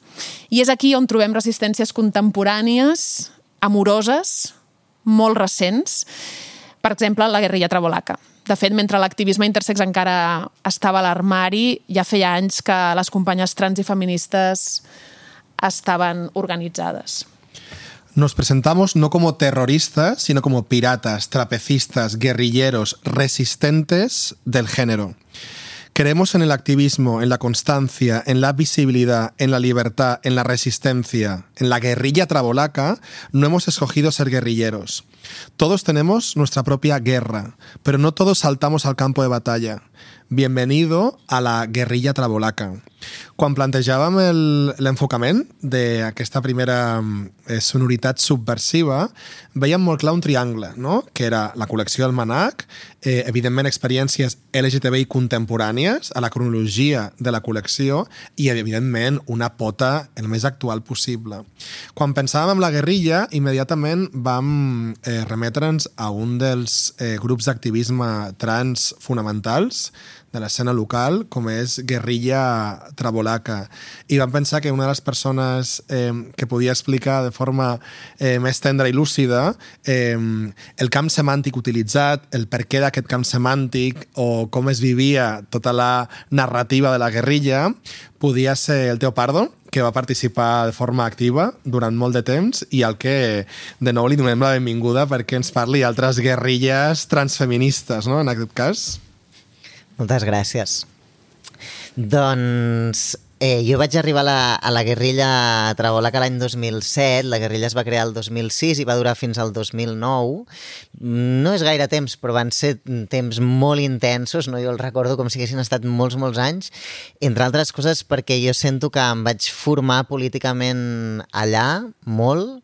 I és aquí on trobem resistències contemporànies, amoroses, molt recents. Per exemple, la guerrilla trabolaca. De fet, mentre l'activisme intersex encara estava a l'armari, ja feia anys que les companyes trans i feministes estaban organizadas. Nos presentamos no como terroristas, sino como piratas, trapecistas, guerrilleros, resistentes del género. Creemos en el activismo, en la constancia, en la visibilidad, en la libertad, en la resistencia. En la guerrilla trabolaca no hemos escogido ser guerrilleros. Todos tenemos nuestra propia guerra, pero no todos saltamos al campo de batalla. Bienvenido a la guerrilla trabolaca. Quan plantejàvem l'enfocament d'aquesta primera sonoritat subversiva, veiem molt clar un triangle, no? Que era la col·lecció Almanac, evidentment experiències LGTBI contemporànies a la cronologia de la col·lecció i, evidentment, una pota el més actual possible. Quan pensàvem en la guerrilla, immediatament vam remetre'ns a un dels grups d'activisme trans fonamentals de l'escena local, com és Guerrilla Trabolaca. I vam pensar que una de les persones que podia explicar de forma més tendra i lúcida el camp semàntic utilitzat, el per què d'aquest camp semàntic o com es vivia tota la narrativa de la guerrilla, podia ser el Teo Pardo, que va participar de forma activa durant molt de temps i al que de nou li donem la benvinguda perquè ens parli d'altres guerrilles transfeministes, no?, en aquest cas. Moltes gràcies. Doncs jo vaig arribar a la guerrilla trabolaca l'any 2007, la guerrilla es va crear el 2006 i va durar fins al 2009. No és gaire temps, però van ser temps molt intensos, no? Jo el recordo com si haguessin estat molts anys, entre altres coses perquè jo sento que em vaig formar políticament allà, molt,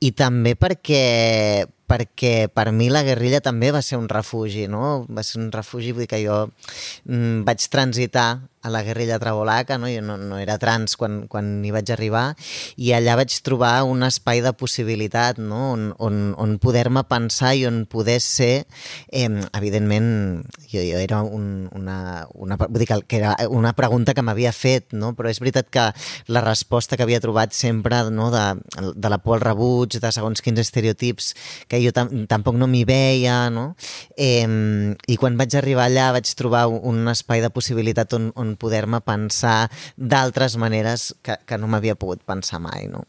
i també perquè per mi la guerrilla també va ser un refugi, no? Va ser un refugi, vull dir que jo vaig transitar a la guerrilla trabolaca, no? Jo no era trans quan hi vaig arribar i allà vaig trobar un espai de possibilitat, no? On poder-me pensar i on poder ser, evidentment, jo era vull dir que era una pregunta que m'havia fet, no? Però és veritat que la resposta que havia trobat sempre, no? de la por al rebuig, de segons quins estereotips que jo tampoc no m'hi veia, no? I quan vaig arribar allà vaig trobar un espai de possibilitat on poder-me pensar d'altres maneres que no m'havia pogut pensar mai, no?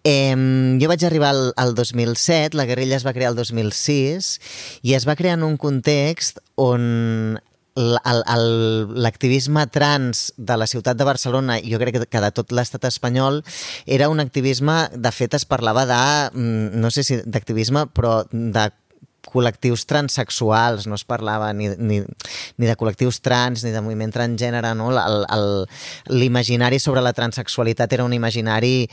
Jo vaig arribar al 2007, la guerrilla es va crear el 2006 i es va crear en un context on l'activisme trans de la ciutat de Barcelona, jo crec que de tot l'estat espanyol, era un activisme, de fet es parlava no sé si d'activisme, però de col·lectius transsexuals, no es parlava ni de col·lectius trans ni de moviment transgènere, no? L'imaginari sobre la transsexualitat era un imaginari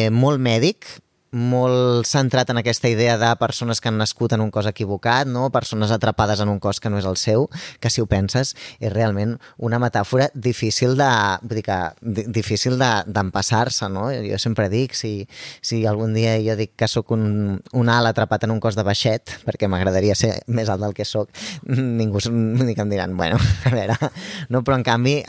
molt mèdic, molt centrat en aquesta idea de persones que han nascut en un cos equivocat, no? Persones atrapades en un cos que no és el seu, que si ho penses és realment una metàfora difícil d'empassar-se, no? Jo sempre dic, si algun dia jo dic que sóc un alt atrapat en un cos de baixet, perquè m'agradaria ser més alt del que sóc, ningú em diran, bueno, a veure, no? Però en canvi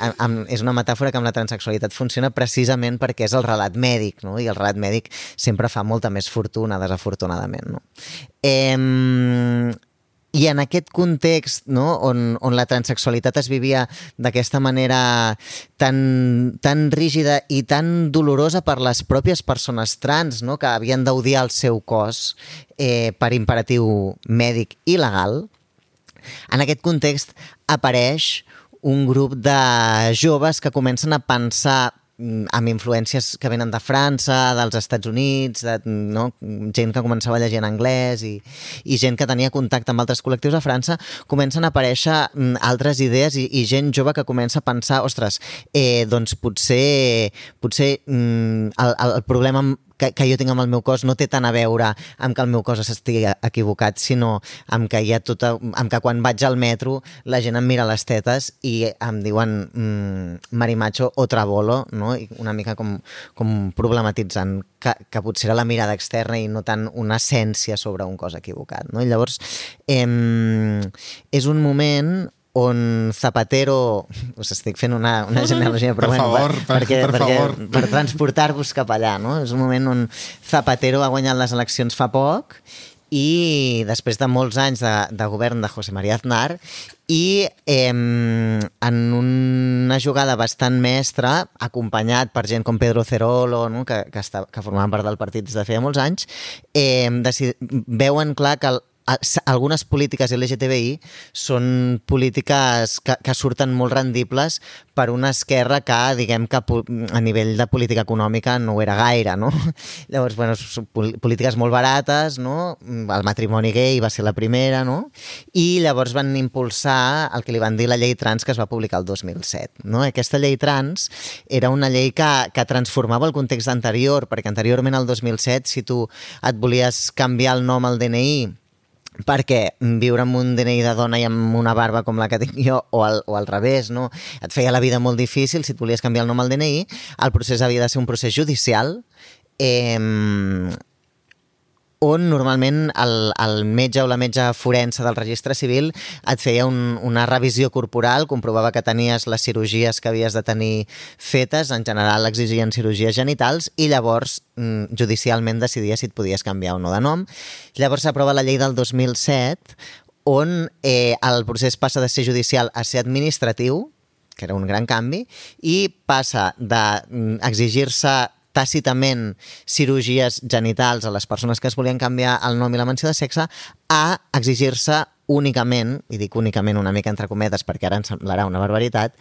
és una metàfora que amb la transsexualitat funciona precisament perquè és el relat mèdic, no? I el relat mèdic sempre fa molta més fortuna, desafortunadament, no? I en aquest context, no, on la transsexualitat es vivia d'aquesta manera tan rígida i tan dolorosa per les pròpies persones trans, no, que havien d'odiar el seu cos per imperatiu mèdic i legal, en aquest context apareix un grup de joves que comencen a pensar amb influències que venen de França, dels Estats Units, no? Gent que començava a llegir en anglès i gent que tenia contacte amb altres col·lectius a França, comencen a aparèixer altres idees i gent jove que comença a pensar, ostres, doncs potser el problema que jo tinc amb el meu cos no té tant a veure amb que el meu cos s'estigui equivocat, sinó amb que amb que quan vaig al metro la gent em mira les tetes i em diuen marimacho o trabolo, no? I una mica com problematitzant que potser era la mirada externa i no tant una essència sobre un cos equivocat, no? I llavors és un moment on Zapatero... Us estic fent una genealogia, però per transportar-vos cap allà, no? És un moment on Zapatero ha guanyat les eleccions fa poc i després de molts anys de govern de José María Aznar i en una jugada bastant mestra, acompanyat per gent com Pedro Cerolo, no? que formaven part del partit des de feia molts anys, veuen clar que algunes polítiques LGTBI són polítiques que surten molt rendibles per una esquerra que, diguem que a nivell de política econòmica no ho era gaire, no? Llavors, bueno, són polítiques molt barates, no? El matrimoni gay va ser la primera, no? I llavors van impulsar el que li van dir la llei trans que es va publicar el 2007, no? Aquesta llei trans era una llei que transformava el context anterior, perquè anteriorment, al 2007, si tu et volies canviar el nom al DNI perquè viure amb un DNI de dona i amb una barba com la que tinc jo o al revés, no? Et feia la vida molt difícil si et volies canviar el nom al DNI, el procés havia de ser un procés judicial on normalment el metge o la metge forense del registre civil et feia una revisió corporal, comprovava que tenies les cirurgies que havies de tenir fetes, en general exigien cirurgies genitals, i llavors judicialment decidia si et podies canviar o no de nom. Llavors s'aprova la llei del 2007, on el procés passa de ser judicial a ser administratiu, que era un gran canvi, i passa d'exigir-se tàcitament cirurgies genitals a les persones que es volien canviar el nom i la menció de sexe a exigir-se únicament, i dic únicament una mica entre cometes perquè ara ens semblarà una barbaritat,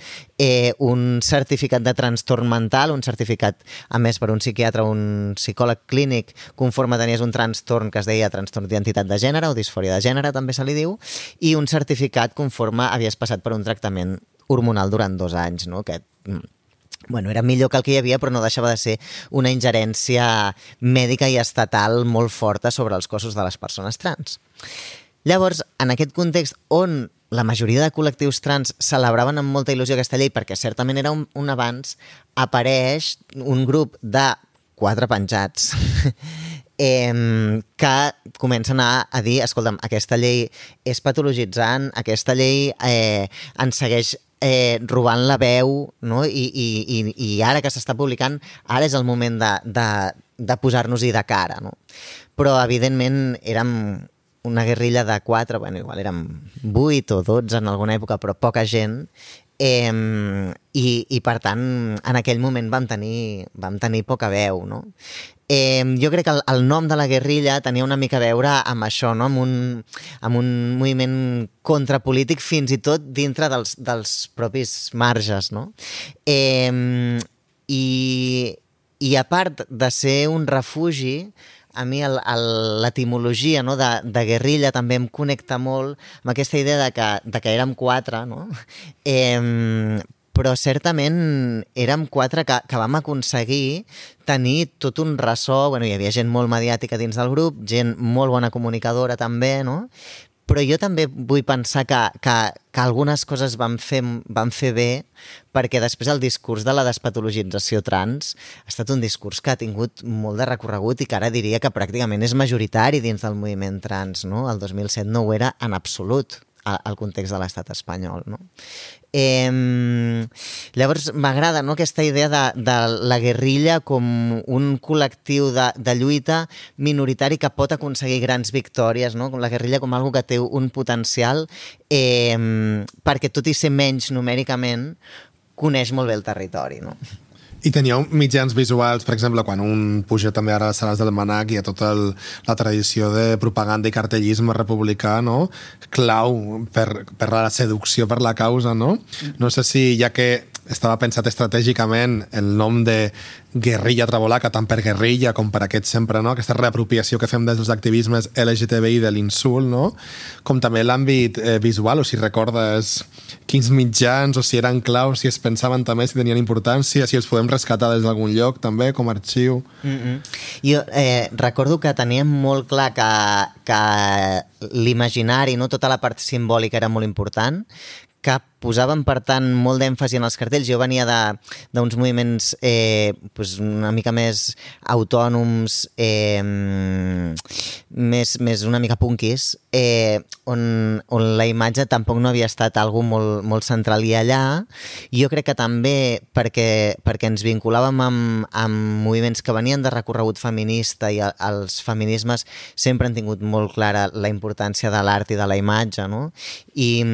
un certificat de trastorn mental, un certificat emès per un psiquiatre o un psicòleg clínic conforme tenies un trastorn que es deia trastorn d'identitat de gènere o disfòria de gènere, també se li diu, i un certificat conforme havies passat per un tractament hormonal durant 2 anys, no? Que bueno, era millor que el que hi havia, però no deixava de ser una ingerència mèdica i estatal molt forta sobre els cossos de les persones trans. Llavors, en aquest context on la majoria de col·lectius trans celebraven amb molta il·lusió aquesta llei, perquè certament era un avanç, apareix un grup de 4 penjats que comencen a dir, escolta'm, aquesta llei és patologitzant, aquesta llei ens segueix robant la veu, no? I ara que s'està publicant, ara és el moment de posar-nos-hi de cara, no? Però evidentment érem una guerrilla de 4, bueno, igual érem 8 o 12 en alguna època, però poca gent, i per tant en aquell moment vam tenir poca veu, no? Jo crec que el nom de la guerrilla tenia una mica a veure amb això, no? amb un moviment contrapolític fins i tot dintre dels propis marges, no? I a part de ser un refugi, a mi l'etimologia, no, de guerrilla també em connecta molt amb aquesta idea de que érem 4, no? Però certament érem 4 que vam aconseguir tenir tot un ressò, bueno, hi havia gent molt mediàtica dins del grup, gent molt bona comunicadora també, no? Però jo també vull pensar que algunes coses van fer bé, perquè després el discurs de la despatologització trans ha estat un discurs que ha tingut molt de recorregut i que ara diria que pràcticament és majoritari dins del moviment trans, no? El 2007 no ho era en absolut al context de l'estat espanyol, no? Llavors m'agrada, no, aquesta idea de la guerrilla com un col·lectiu de lluita minoritari que pot aconseguir grans victòries, no? La guerrilla com algo que té un potencial perquè tot i ser menys numèricament coneix molt bé el territori, no? I teníeu mitjans visuals, per exemple, quan un puja també ara a les sales del Manac, hi ha tota la tradició de propaganda i cartellisme republicà, no? Clau per la seducció per la causa, no? No sé si, ja que estava pensat estratègicament el nom de guerrilla trabolaca, tant per guerrilla com per aquest sempre, no? Aquesta reapropiació que fem des dels activismes LGTBI de l'insult, no? Com també l'àmbit visual, o si recordes quins mitjans, o si eren claus, si es pensaven també, si tenien importància, si els podem rescatar des d'algun lloc també, com a arxiu. Jo recordo que teníem molt clar que l'imaginari, no? Tota la part simbòlica era molt important, que posaven, per tant, molt d'èmfasi en els cartells. Jo venia d'uns moviments una mica més autònoms, més una mica punkis, on la imatge tampoc no havia estat algo molt central. I allà jo crec que també perquè ens vinculàvem amb moviments que venien de recorregut feminista, i els feminismes sempre han tingut molt clara la importància de l'art i de la imatge, no? I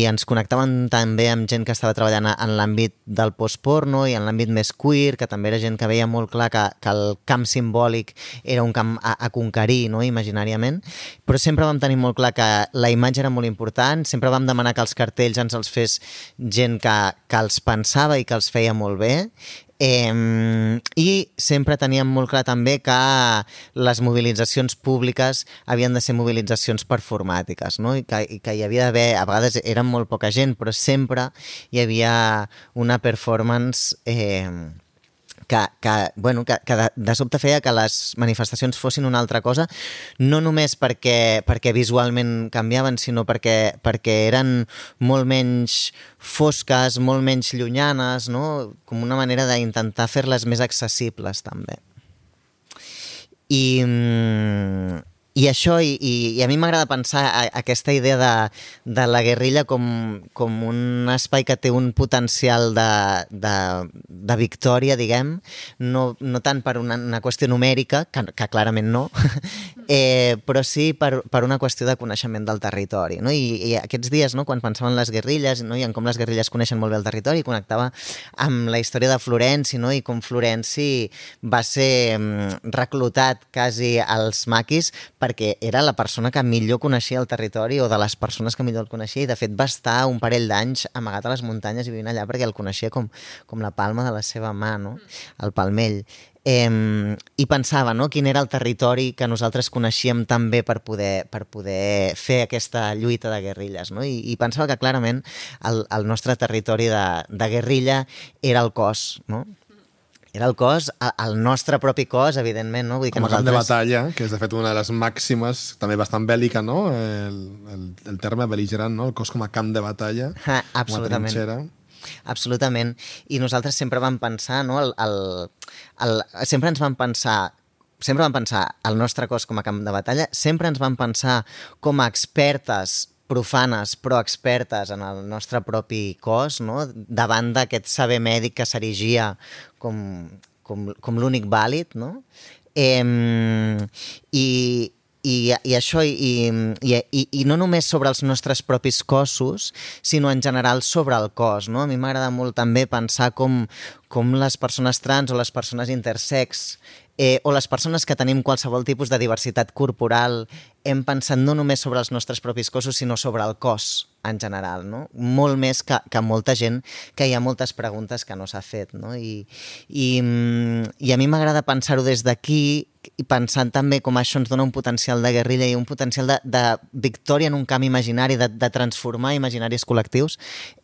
ens connectaven també amb gent que estava treballant en l'àmbit del postporno i en l'àmbit més queer, que també era gent que veia molt clar que el camp simbòlic era un camp a conquerir, no? Imaginàriament, però sempre vam tenir molt clar que la imatge era molt important, sempre vam demanar que els cartells ens els fes gent que els pensava i que els feia molt bé. I sempre teníem molt clar també que les mobilitzacions públiques havien de ser mobilitzacions performàtiques, no? I que hi havia d'haver, a vegades eren molt poca gent, però sempre hi havia una performance que de sobte feia que les manifestacions fossin una altra cosa, no només perquè visualment canviaven, sinó perquè eren molt menys fosques, molt menys llunyanes, no? Com una manera d'intentar fer-les més accessibles, també. I això, i a mi m'agrada pensar aquesta idea de la guerrilla com un espai que té un potencial de victòria, diguem, no tant per una qüestió numèrica, que clarament no, però sí per una qüestió de coneixement del territori, no? I aquests dies, no, quan pensava en les guerrilles, no, i en com les guerrilles coneixen molt bé el territori, connectava amb la història de Florenci, no? I com Florenci va ser reclutat quasi als maquis perquè era la persona que millor coneixia el territori, o de les persones que millor el coneixia, i de fet va estar un parell d'anys amagat a les muntanyes i vivint allà perquè el coneixia com la palma de la seva mà, no? El palmell. I pensava, no?, quin era el territori que nosaltres coneixíem tan bé per poder fer aquesta lluita de guerrilles, no? I pensava que clarament el nostre territori de guerrilla era el cos, no? Era el cos, el nostre propi cos, evidentment, no? Vull dir que com a camp de batalla, que és de fet una de les màximes, també bastant bèl·lica, no? El terme bel·ligerant, no? El cos com a camp de batalla, absolutament. Com a trinxera. Absolutament. I nosaltres sempre vam pensar, no? Sempre vam pensar el nostre cos com a camp de batalla, sempre ens vam pensar com a expertes profanes però expertes en el nostre propi cos, no? Davant d'aquest saber mèdic que s'erigia com l'únic vàlid, no? I això, i no només sobre els nostres propis cossos, sinó en general sobre el cos, no? A mi m'agrada molt també pensar com les persones trans o les persones intersex o les persones que tenim qualsevol tipus de diversitat corporal hem pensat no només sobre els nostres propis cossos, sinó sobre el cos en general, no? Molt més que molta gent, que hi ha moltes preguntes que no s'ha fet, no? I a mi m'agrada pensar-ho des d'aquí, i pensant també com això ens dona un potencial de guerrilla i un potencial de victòria en un camp imaginari, de transformar imaginaris col·lectius,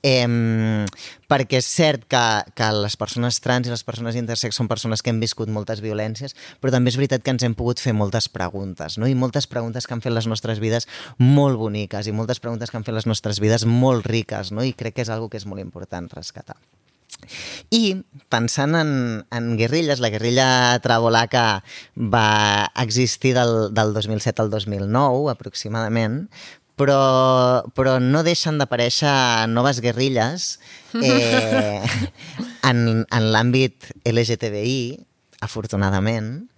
perquè és cert que les persones trans i les persones intersex són persones que hem viscut moltes violències, però també és veritat que ens hem pogut fer moltes preguntes, no? I moltes preguntes que han fet les nostres vides molt boniques i moltes preguntes que han fet les nostres vides molt riques, no? I crec que és una cosa que és molt important rescatar. I pensant en guerrilles, la guerrilla trabolaca va existir del 2007 al 2009 aproximadament, però no deixen d'aparèixer noves guerrilles en l'àmbit LGTBI, afortunadament.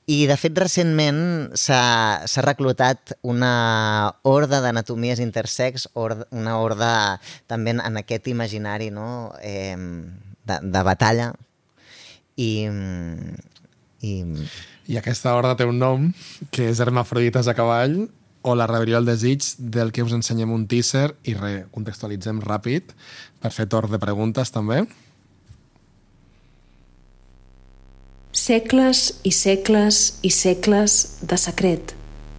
I, de fet, recentment s'ha reclutat una horda d'anatomies intersex, una horda també en aquest imaginari, no?, de batalla. I aquesta horda té un nom, que és Hermafrodites a cavall, o la rebel·lió del desig, del que us ensenyem un teaser i recontextualitzem ràpid per fer torn de preguntes també. Segles i segles i segles de secret,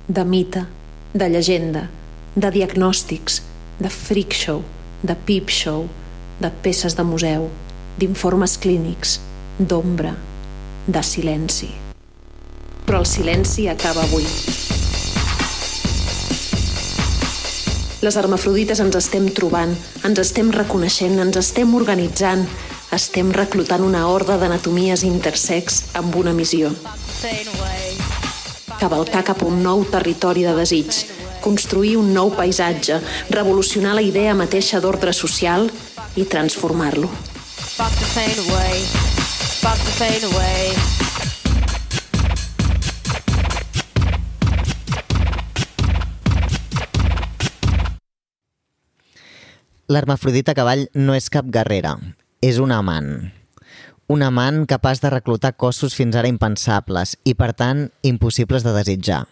de mite, de llegenda, de diagnòstics, de freak show, de peep show, de peces de museu, d'informes clínics, d'ombra, de silenci. Però el silenci acaba avui. Les hermafrodites ens estem trobant, ens estem reconeixent, ens estem organitzant, estem reclutant una horda d'anatomies intersex amb una missió. Cavalcar cap a un nou territori de desig, construir un nou paisatge, revolucionar la idea mateixa d'ordre social i transformar-lo. L'hermafrodita cavall no és cap guerrera, és un amant. Un amant capaç de reclutar cossos fins ara impensables i, per tant, impossibles de desitjar.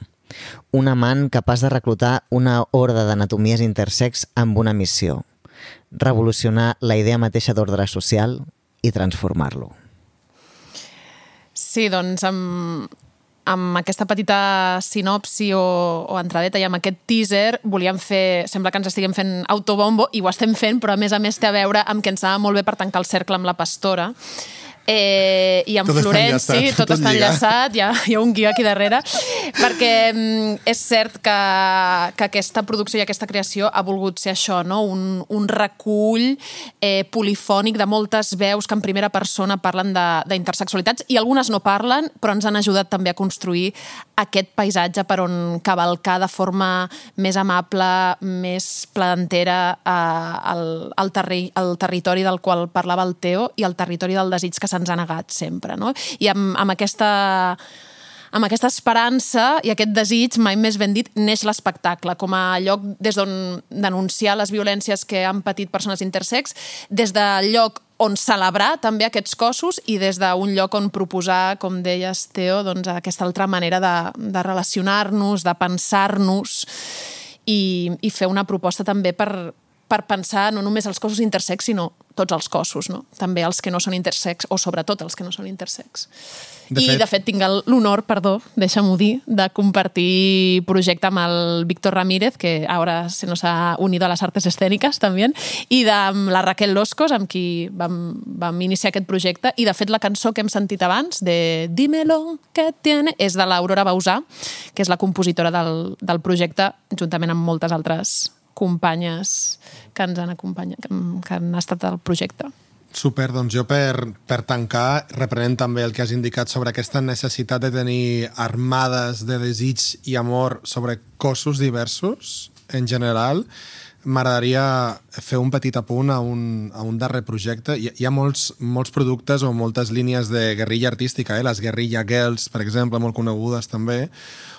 Un amant capaç de reclutar una horda d'anatomies intersex amb una missió: revolucionar la idea mateixa d'ordre social i transformar-lo. Sí, doncs amb aquesta petita sinopsi o entradeta i amb aquest teaser volíem fer, sembla que ens estiguem fent autobombo i ho estem fent, però a més té a veure amb que ens anava molt bé per tancar el cercle amb la pastora. I amb Florenci, tot està enllaçat, hi ha un guió aquí darrere, perquè és cert que aquesta producció i aquesta creació ha volgut ser això, no? Un recull polifònic de moltes veus que en primera persona parlen d'intersexualitats, i algunes no parlen, però ens han ajudat també a construir aquest paisatge per on cavalcar de forma més amable, més plantera al territori del qual parlava el Teo i al territori del desig que se'ns ha negat sempre, no? I amb aquesta esperança i aquest desig, mai més ben dit, neix l'espectacle, com a lloc des d'on denunciar les violències que han patit persones intersex, des del lloc on celebrar també aquests cossos i des d'un lloc on proposar, com deies, Teo, doncs aquesta altra manera de relacionar-nos, de pensar-nos i fer una proposta també per pensar no només els cossos intersex, sinó tots els cossos, no? També els que no són intersex, o sobretot els que no són intersex. De fet, tinc l'honor, deixa'm-ho dir, de compartir projecte amb el Víctor Ramírez, que ara se nos ha unido a las artes escénicas també, i amb la Raquel Loscos, amb qui vam iniciar aquest projecte, i de fet la cançó que hem sentit abans, de Dímelo que tiene, és de l'Aurora Bausà, que és la compositora del projecte, juntament amb moltes altres companyes que ens han acompanyat, que han estat al projecte. Super, doncs jo per tancar, reprenent també el que has indicat sobre aquesta necessitat de tenir armades de desig i amor sobre cossos diversos, en general, m'agradaria fer un petit apunt a un darrer projecte. Hi ha molts productes o moltes línies de guerrilla artística, les Guerrilla Girls, per exemple, molt conegudes també,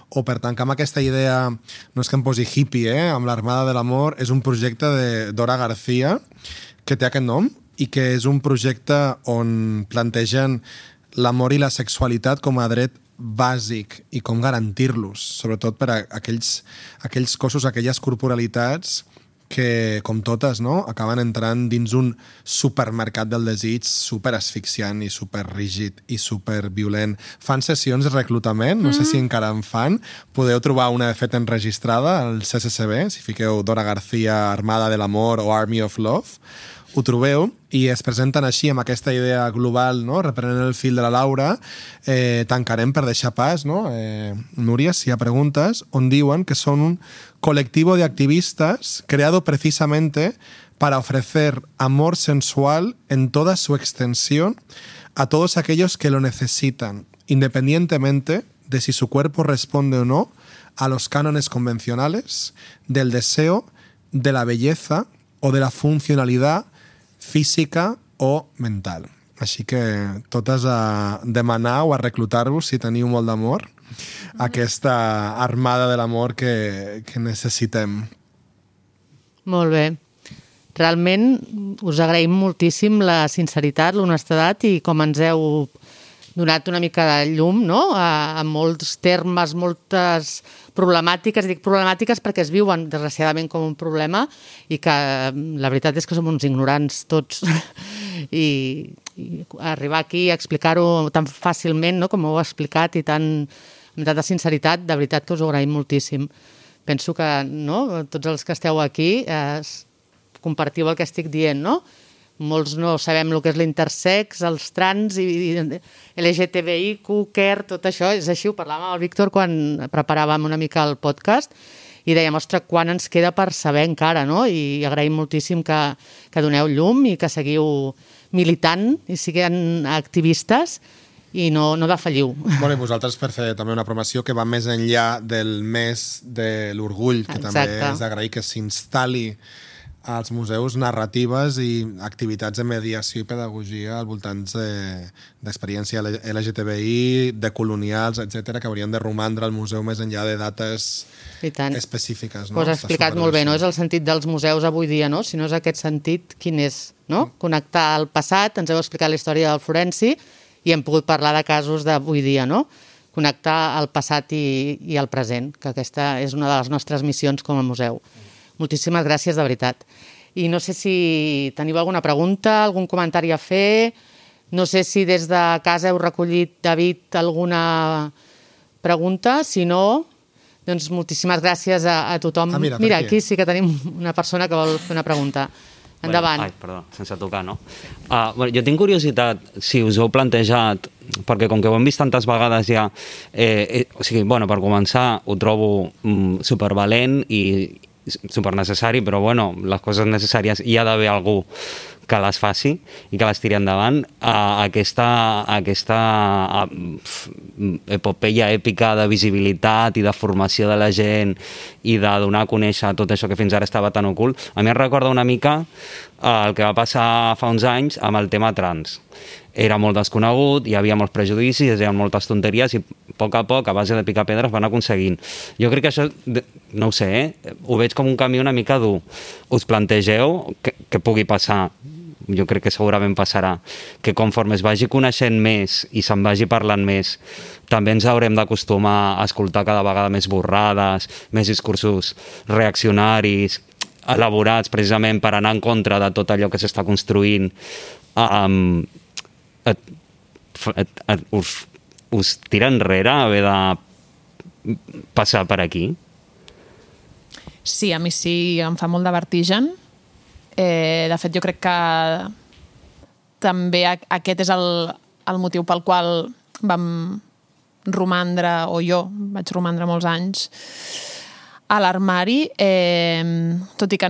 o per tancar amb aquesta idea, no és que em posi hippie, amb l'Armada de l'Amor, és un projecte de Dora García, que té aquest nom, i que és un projecte on plantegen l'amor i la sexualitat com a dret bàsic i com garantir-los, sobretot per a aquells cossos, aquelles corporalitats que, com totes, no, acaben entrant dins un supermercat del desig super asfixiant i super rígid i super violent. Fan sessions de reclutament, no sé si encara en fan, podeu trobar una de fet enregistrada al CCCB, si fiqueu Dora García, Armada de l'Amor o Army of Love, ho trobeu i es presenten així amb aquesta idea global, no? Reprenent el fil de la Laura. Tancarem per deixar pas, no? Núria, si hi ha preguntes, on diuen que son un colectivo de activistas creado precisamente para ofrecer amor sensual en toda su extensión a todos aquellos que lo necesitan, independientemente de si su cuerpo responde o no a los cánones convencionales del deseo, de la belleza o de la funcionalidad física o mental. Així que totes a demanar o a reclutar-vos, si teniu molt d'amor, aquesta armada de l'amor que necessitem. Molt bé. Realment us agraïm moltíssim la sinceritat, l'honestedat i com ens heu donat una mica de llum, no?, a molts termes, moltes problemàtiques. Dic problemàtiques perquè es viuen, desgraciadament, com un problema i que la veritat és que som uns ignorants tots. I arribar aquí a explicar-ho tan fàcilment, no?, com ho heu explicat, i amb tanta sinceritat, de veritat que us ho agraïm moltíssim. Penso que, no?, tots els que esteu aquí compartiu el que estic dient, no? Molts no sabem el que és l'intersex, els trans, i LGTBI, queer, tot això. És així, ho parlàvem amb el Víctor quan preparàvem una mica el podcast i dèiem, ostres, quan ens queda per saber encara, no? I agraïm moltíssim que doneu llum i que seguiu militant i siguin activistes i no defalliu. Bueno, i vosaltres per fer també una promoció que va més enllà del mes de l'orgull, que també és d'agrair que s'instal·li als museus narratives i activitats de mediació i pedagogia al voltant d'experiència LGTBI, de colonials, etc, que haurien de romandre al museu més enllà de dates específiques. Ho has explicat molt bé, no? És el sentit dels museus avui dia, no? Si no és aquest sentit, quin és? Connectar al passat, ens heu explicat la història del forensi i hem pogut parlar de casos d'avui dia, no? Connectar el passat i el present, que aquesta és una de les nostres missions com a museu. Moltíssimes gràcies, de veritat. I no sé si teniu alguna pregunta, algun comentari a fer. No sé si des de casa heu recollit, David, alguna pregunta. Si no, doncs moltíssimes gràcies a tothom. Mira, aquí sí que tenim una persona que vol fer una pregunta. Endavant. Ai, perdó, sense tocar, no? Jo tinc curiositat, si us heu plantejat, perquè com que ho hem vist tantes vegades ja, o sigui, bueno, per començar, ho trobo supervalent i supernecessari, però bueno, les coses necessàries hi ha d'haver algú que les faci i que les tiri endavant. Aquesta epopeia èpica de visibilitat i de formació de la gent i de donar a conèixer tot això que fins ara estava tan ocult, a mi em recorda una mica el que va passar fa uns anys amb el tema trans. Era molt desconegut, hi havia molts prejudicis, hi havia moltes tonteries i a poc, a base de picar pedres, van aconseguint. Jo crec que això, no ho sé, ho veig com un camí una mica dur. Us plantegeu que pugui passar? Jo crec que segurament passarà, que conforme es vagi coneixent més i se'n vagi parlant més, també ens haurem d'acostumar a escoltar cada vegada més borrades, més discursos reaccionaris, elaborats precisament per anar en contra de tot allò que s'està construint. Us tira enrere haver de passar per aquí? Sí, a mi sí, em fa molt de vertigen. De fet, jo crec que també aquest és el motiu pel qual vam romandre, o jo vaig romandre molts anys a l'armari, tot i que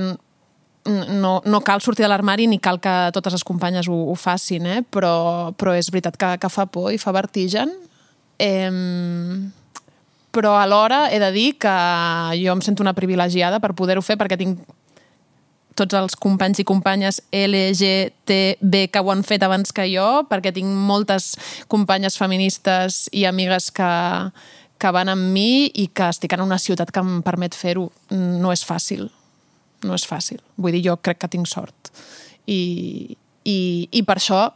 no cal sortir de l'armari ni cal que totes les companyes ho facin, però és veritat que fa por i fa vertigen. Però alhora he de dir que jo em sento una privilegiada per poder-ho fer, perquè tinc tots els companys i companyes LGTB que ho han fet abans que jo, perquè tinc moltes companyes feministes i amigues que van amb mi i que estic en una ciutat que em permet fer-ho. No és fàcil. No és fàcil. Vull dir, jo crec que tinc sort. I per això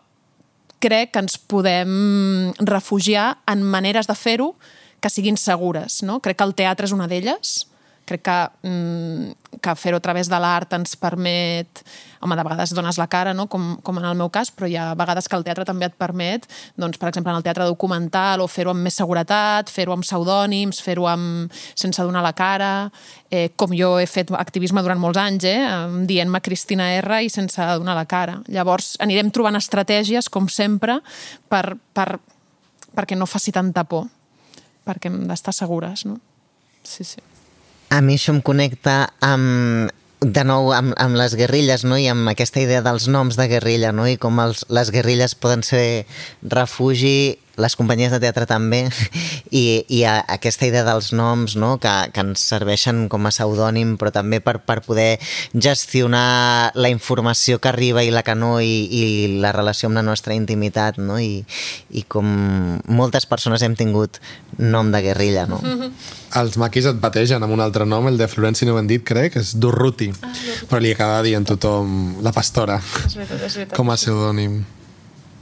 crec que ens podem refugiar en maneres de fer-ho que siguin segures, no? Crec que el teatre és una d'elles. Crec que fer-ho a través de l'art ens permet... Home, de vegades dones la cara, no? Com en el meu cas, però hi ha vegades que el teatre també et permet, doncs, per exemple, en el teatre documental, o fer-ho amb més seguretat, fer-ho amb pseudònims, fer-ho sense donar la cara, com jo he fet activisme durant molts anys, dient-me Cristina R i sense donar la cara. Llavors, anirem trobant estratègies, com sempre, perquè no faci tanta por, perquè hem d'estar segures, no? Sí, sí. A mi això em connecta de nou amb les guerrilles, no? I amb aquesta idea dels noms de guerrilla, no? I com les guerrilles poden ser refugi, les companyies de teatre també, i aquesta idea dels noms, no? que ens serveixen com a pseudònim, però també per poder gestionar la informació que arriba i la que no, i la relació amb la nostra intimitat, no? I com moltes persones hem tingut nom de guerrilla, no? Els maquis et bategen amb un altre nom, el de Florenci no ho hem dit, crec, és Durruti, però li acaba dient tothom la pastora, és veritat. com a pseudònim.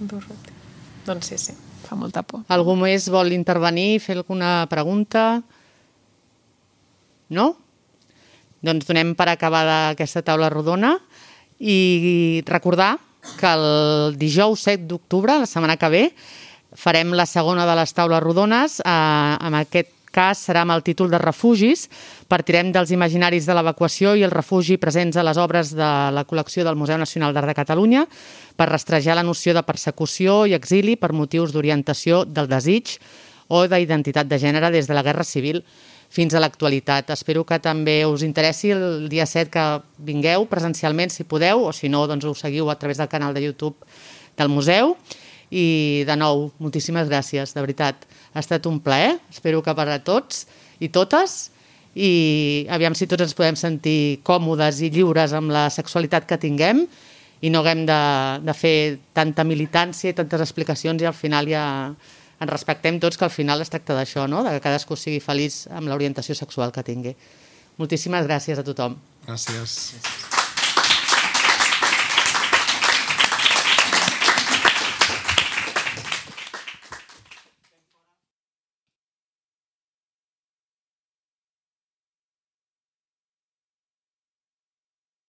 Durruti. Doncs sí. Fa molta por. Algú més vol intervenir, fer alguna pregunta? No? Doncs donem per acabada aquesta taula rodona i recordar que el dijous 7 d'octubre, la setmana que ve, farem la segona de les taules rodones. En aquest cas serà amb el títol de refugis. Partirem dels imaginaris de l'evacuació i el refugi presents a les obres de la col·lecció del Museu Nacional d'Art de Catalunya per rastrejar la noció de persecució i exili per motius d'orientació del desig o d'identitat de gènere des de la Guerra Civil fins a l'actualitat. Espero que també us interessi el dia 7 que vingueu presencialment, si podeu, o si no, doncs ho seguiu a través del canal de YouTube del museu. I, de nou, moltíssimes gràcies, de veritat. Ha estat un plaer, espero que per a tots i totes, i aviam si tots ens podem sentir còmodes i lliures amb la sexualitat que tinguem i no haguem de fer tanta militància i tantes explicacions i al final ja ens respectem tots, que al final es tracta d'això, no? De que cadascú sigui feliç amb l'orientació sexual que tingui. Moltíssimes gràcies a tothom. Gràcies.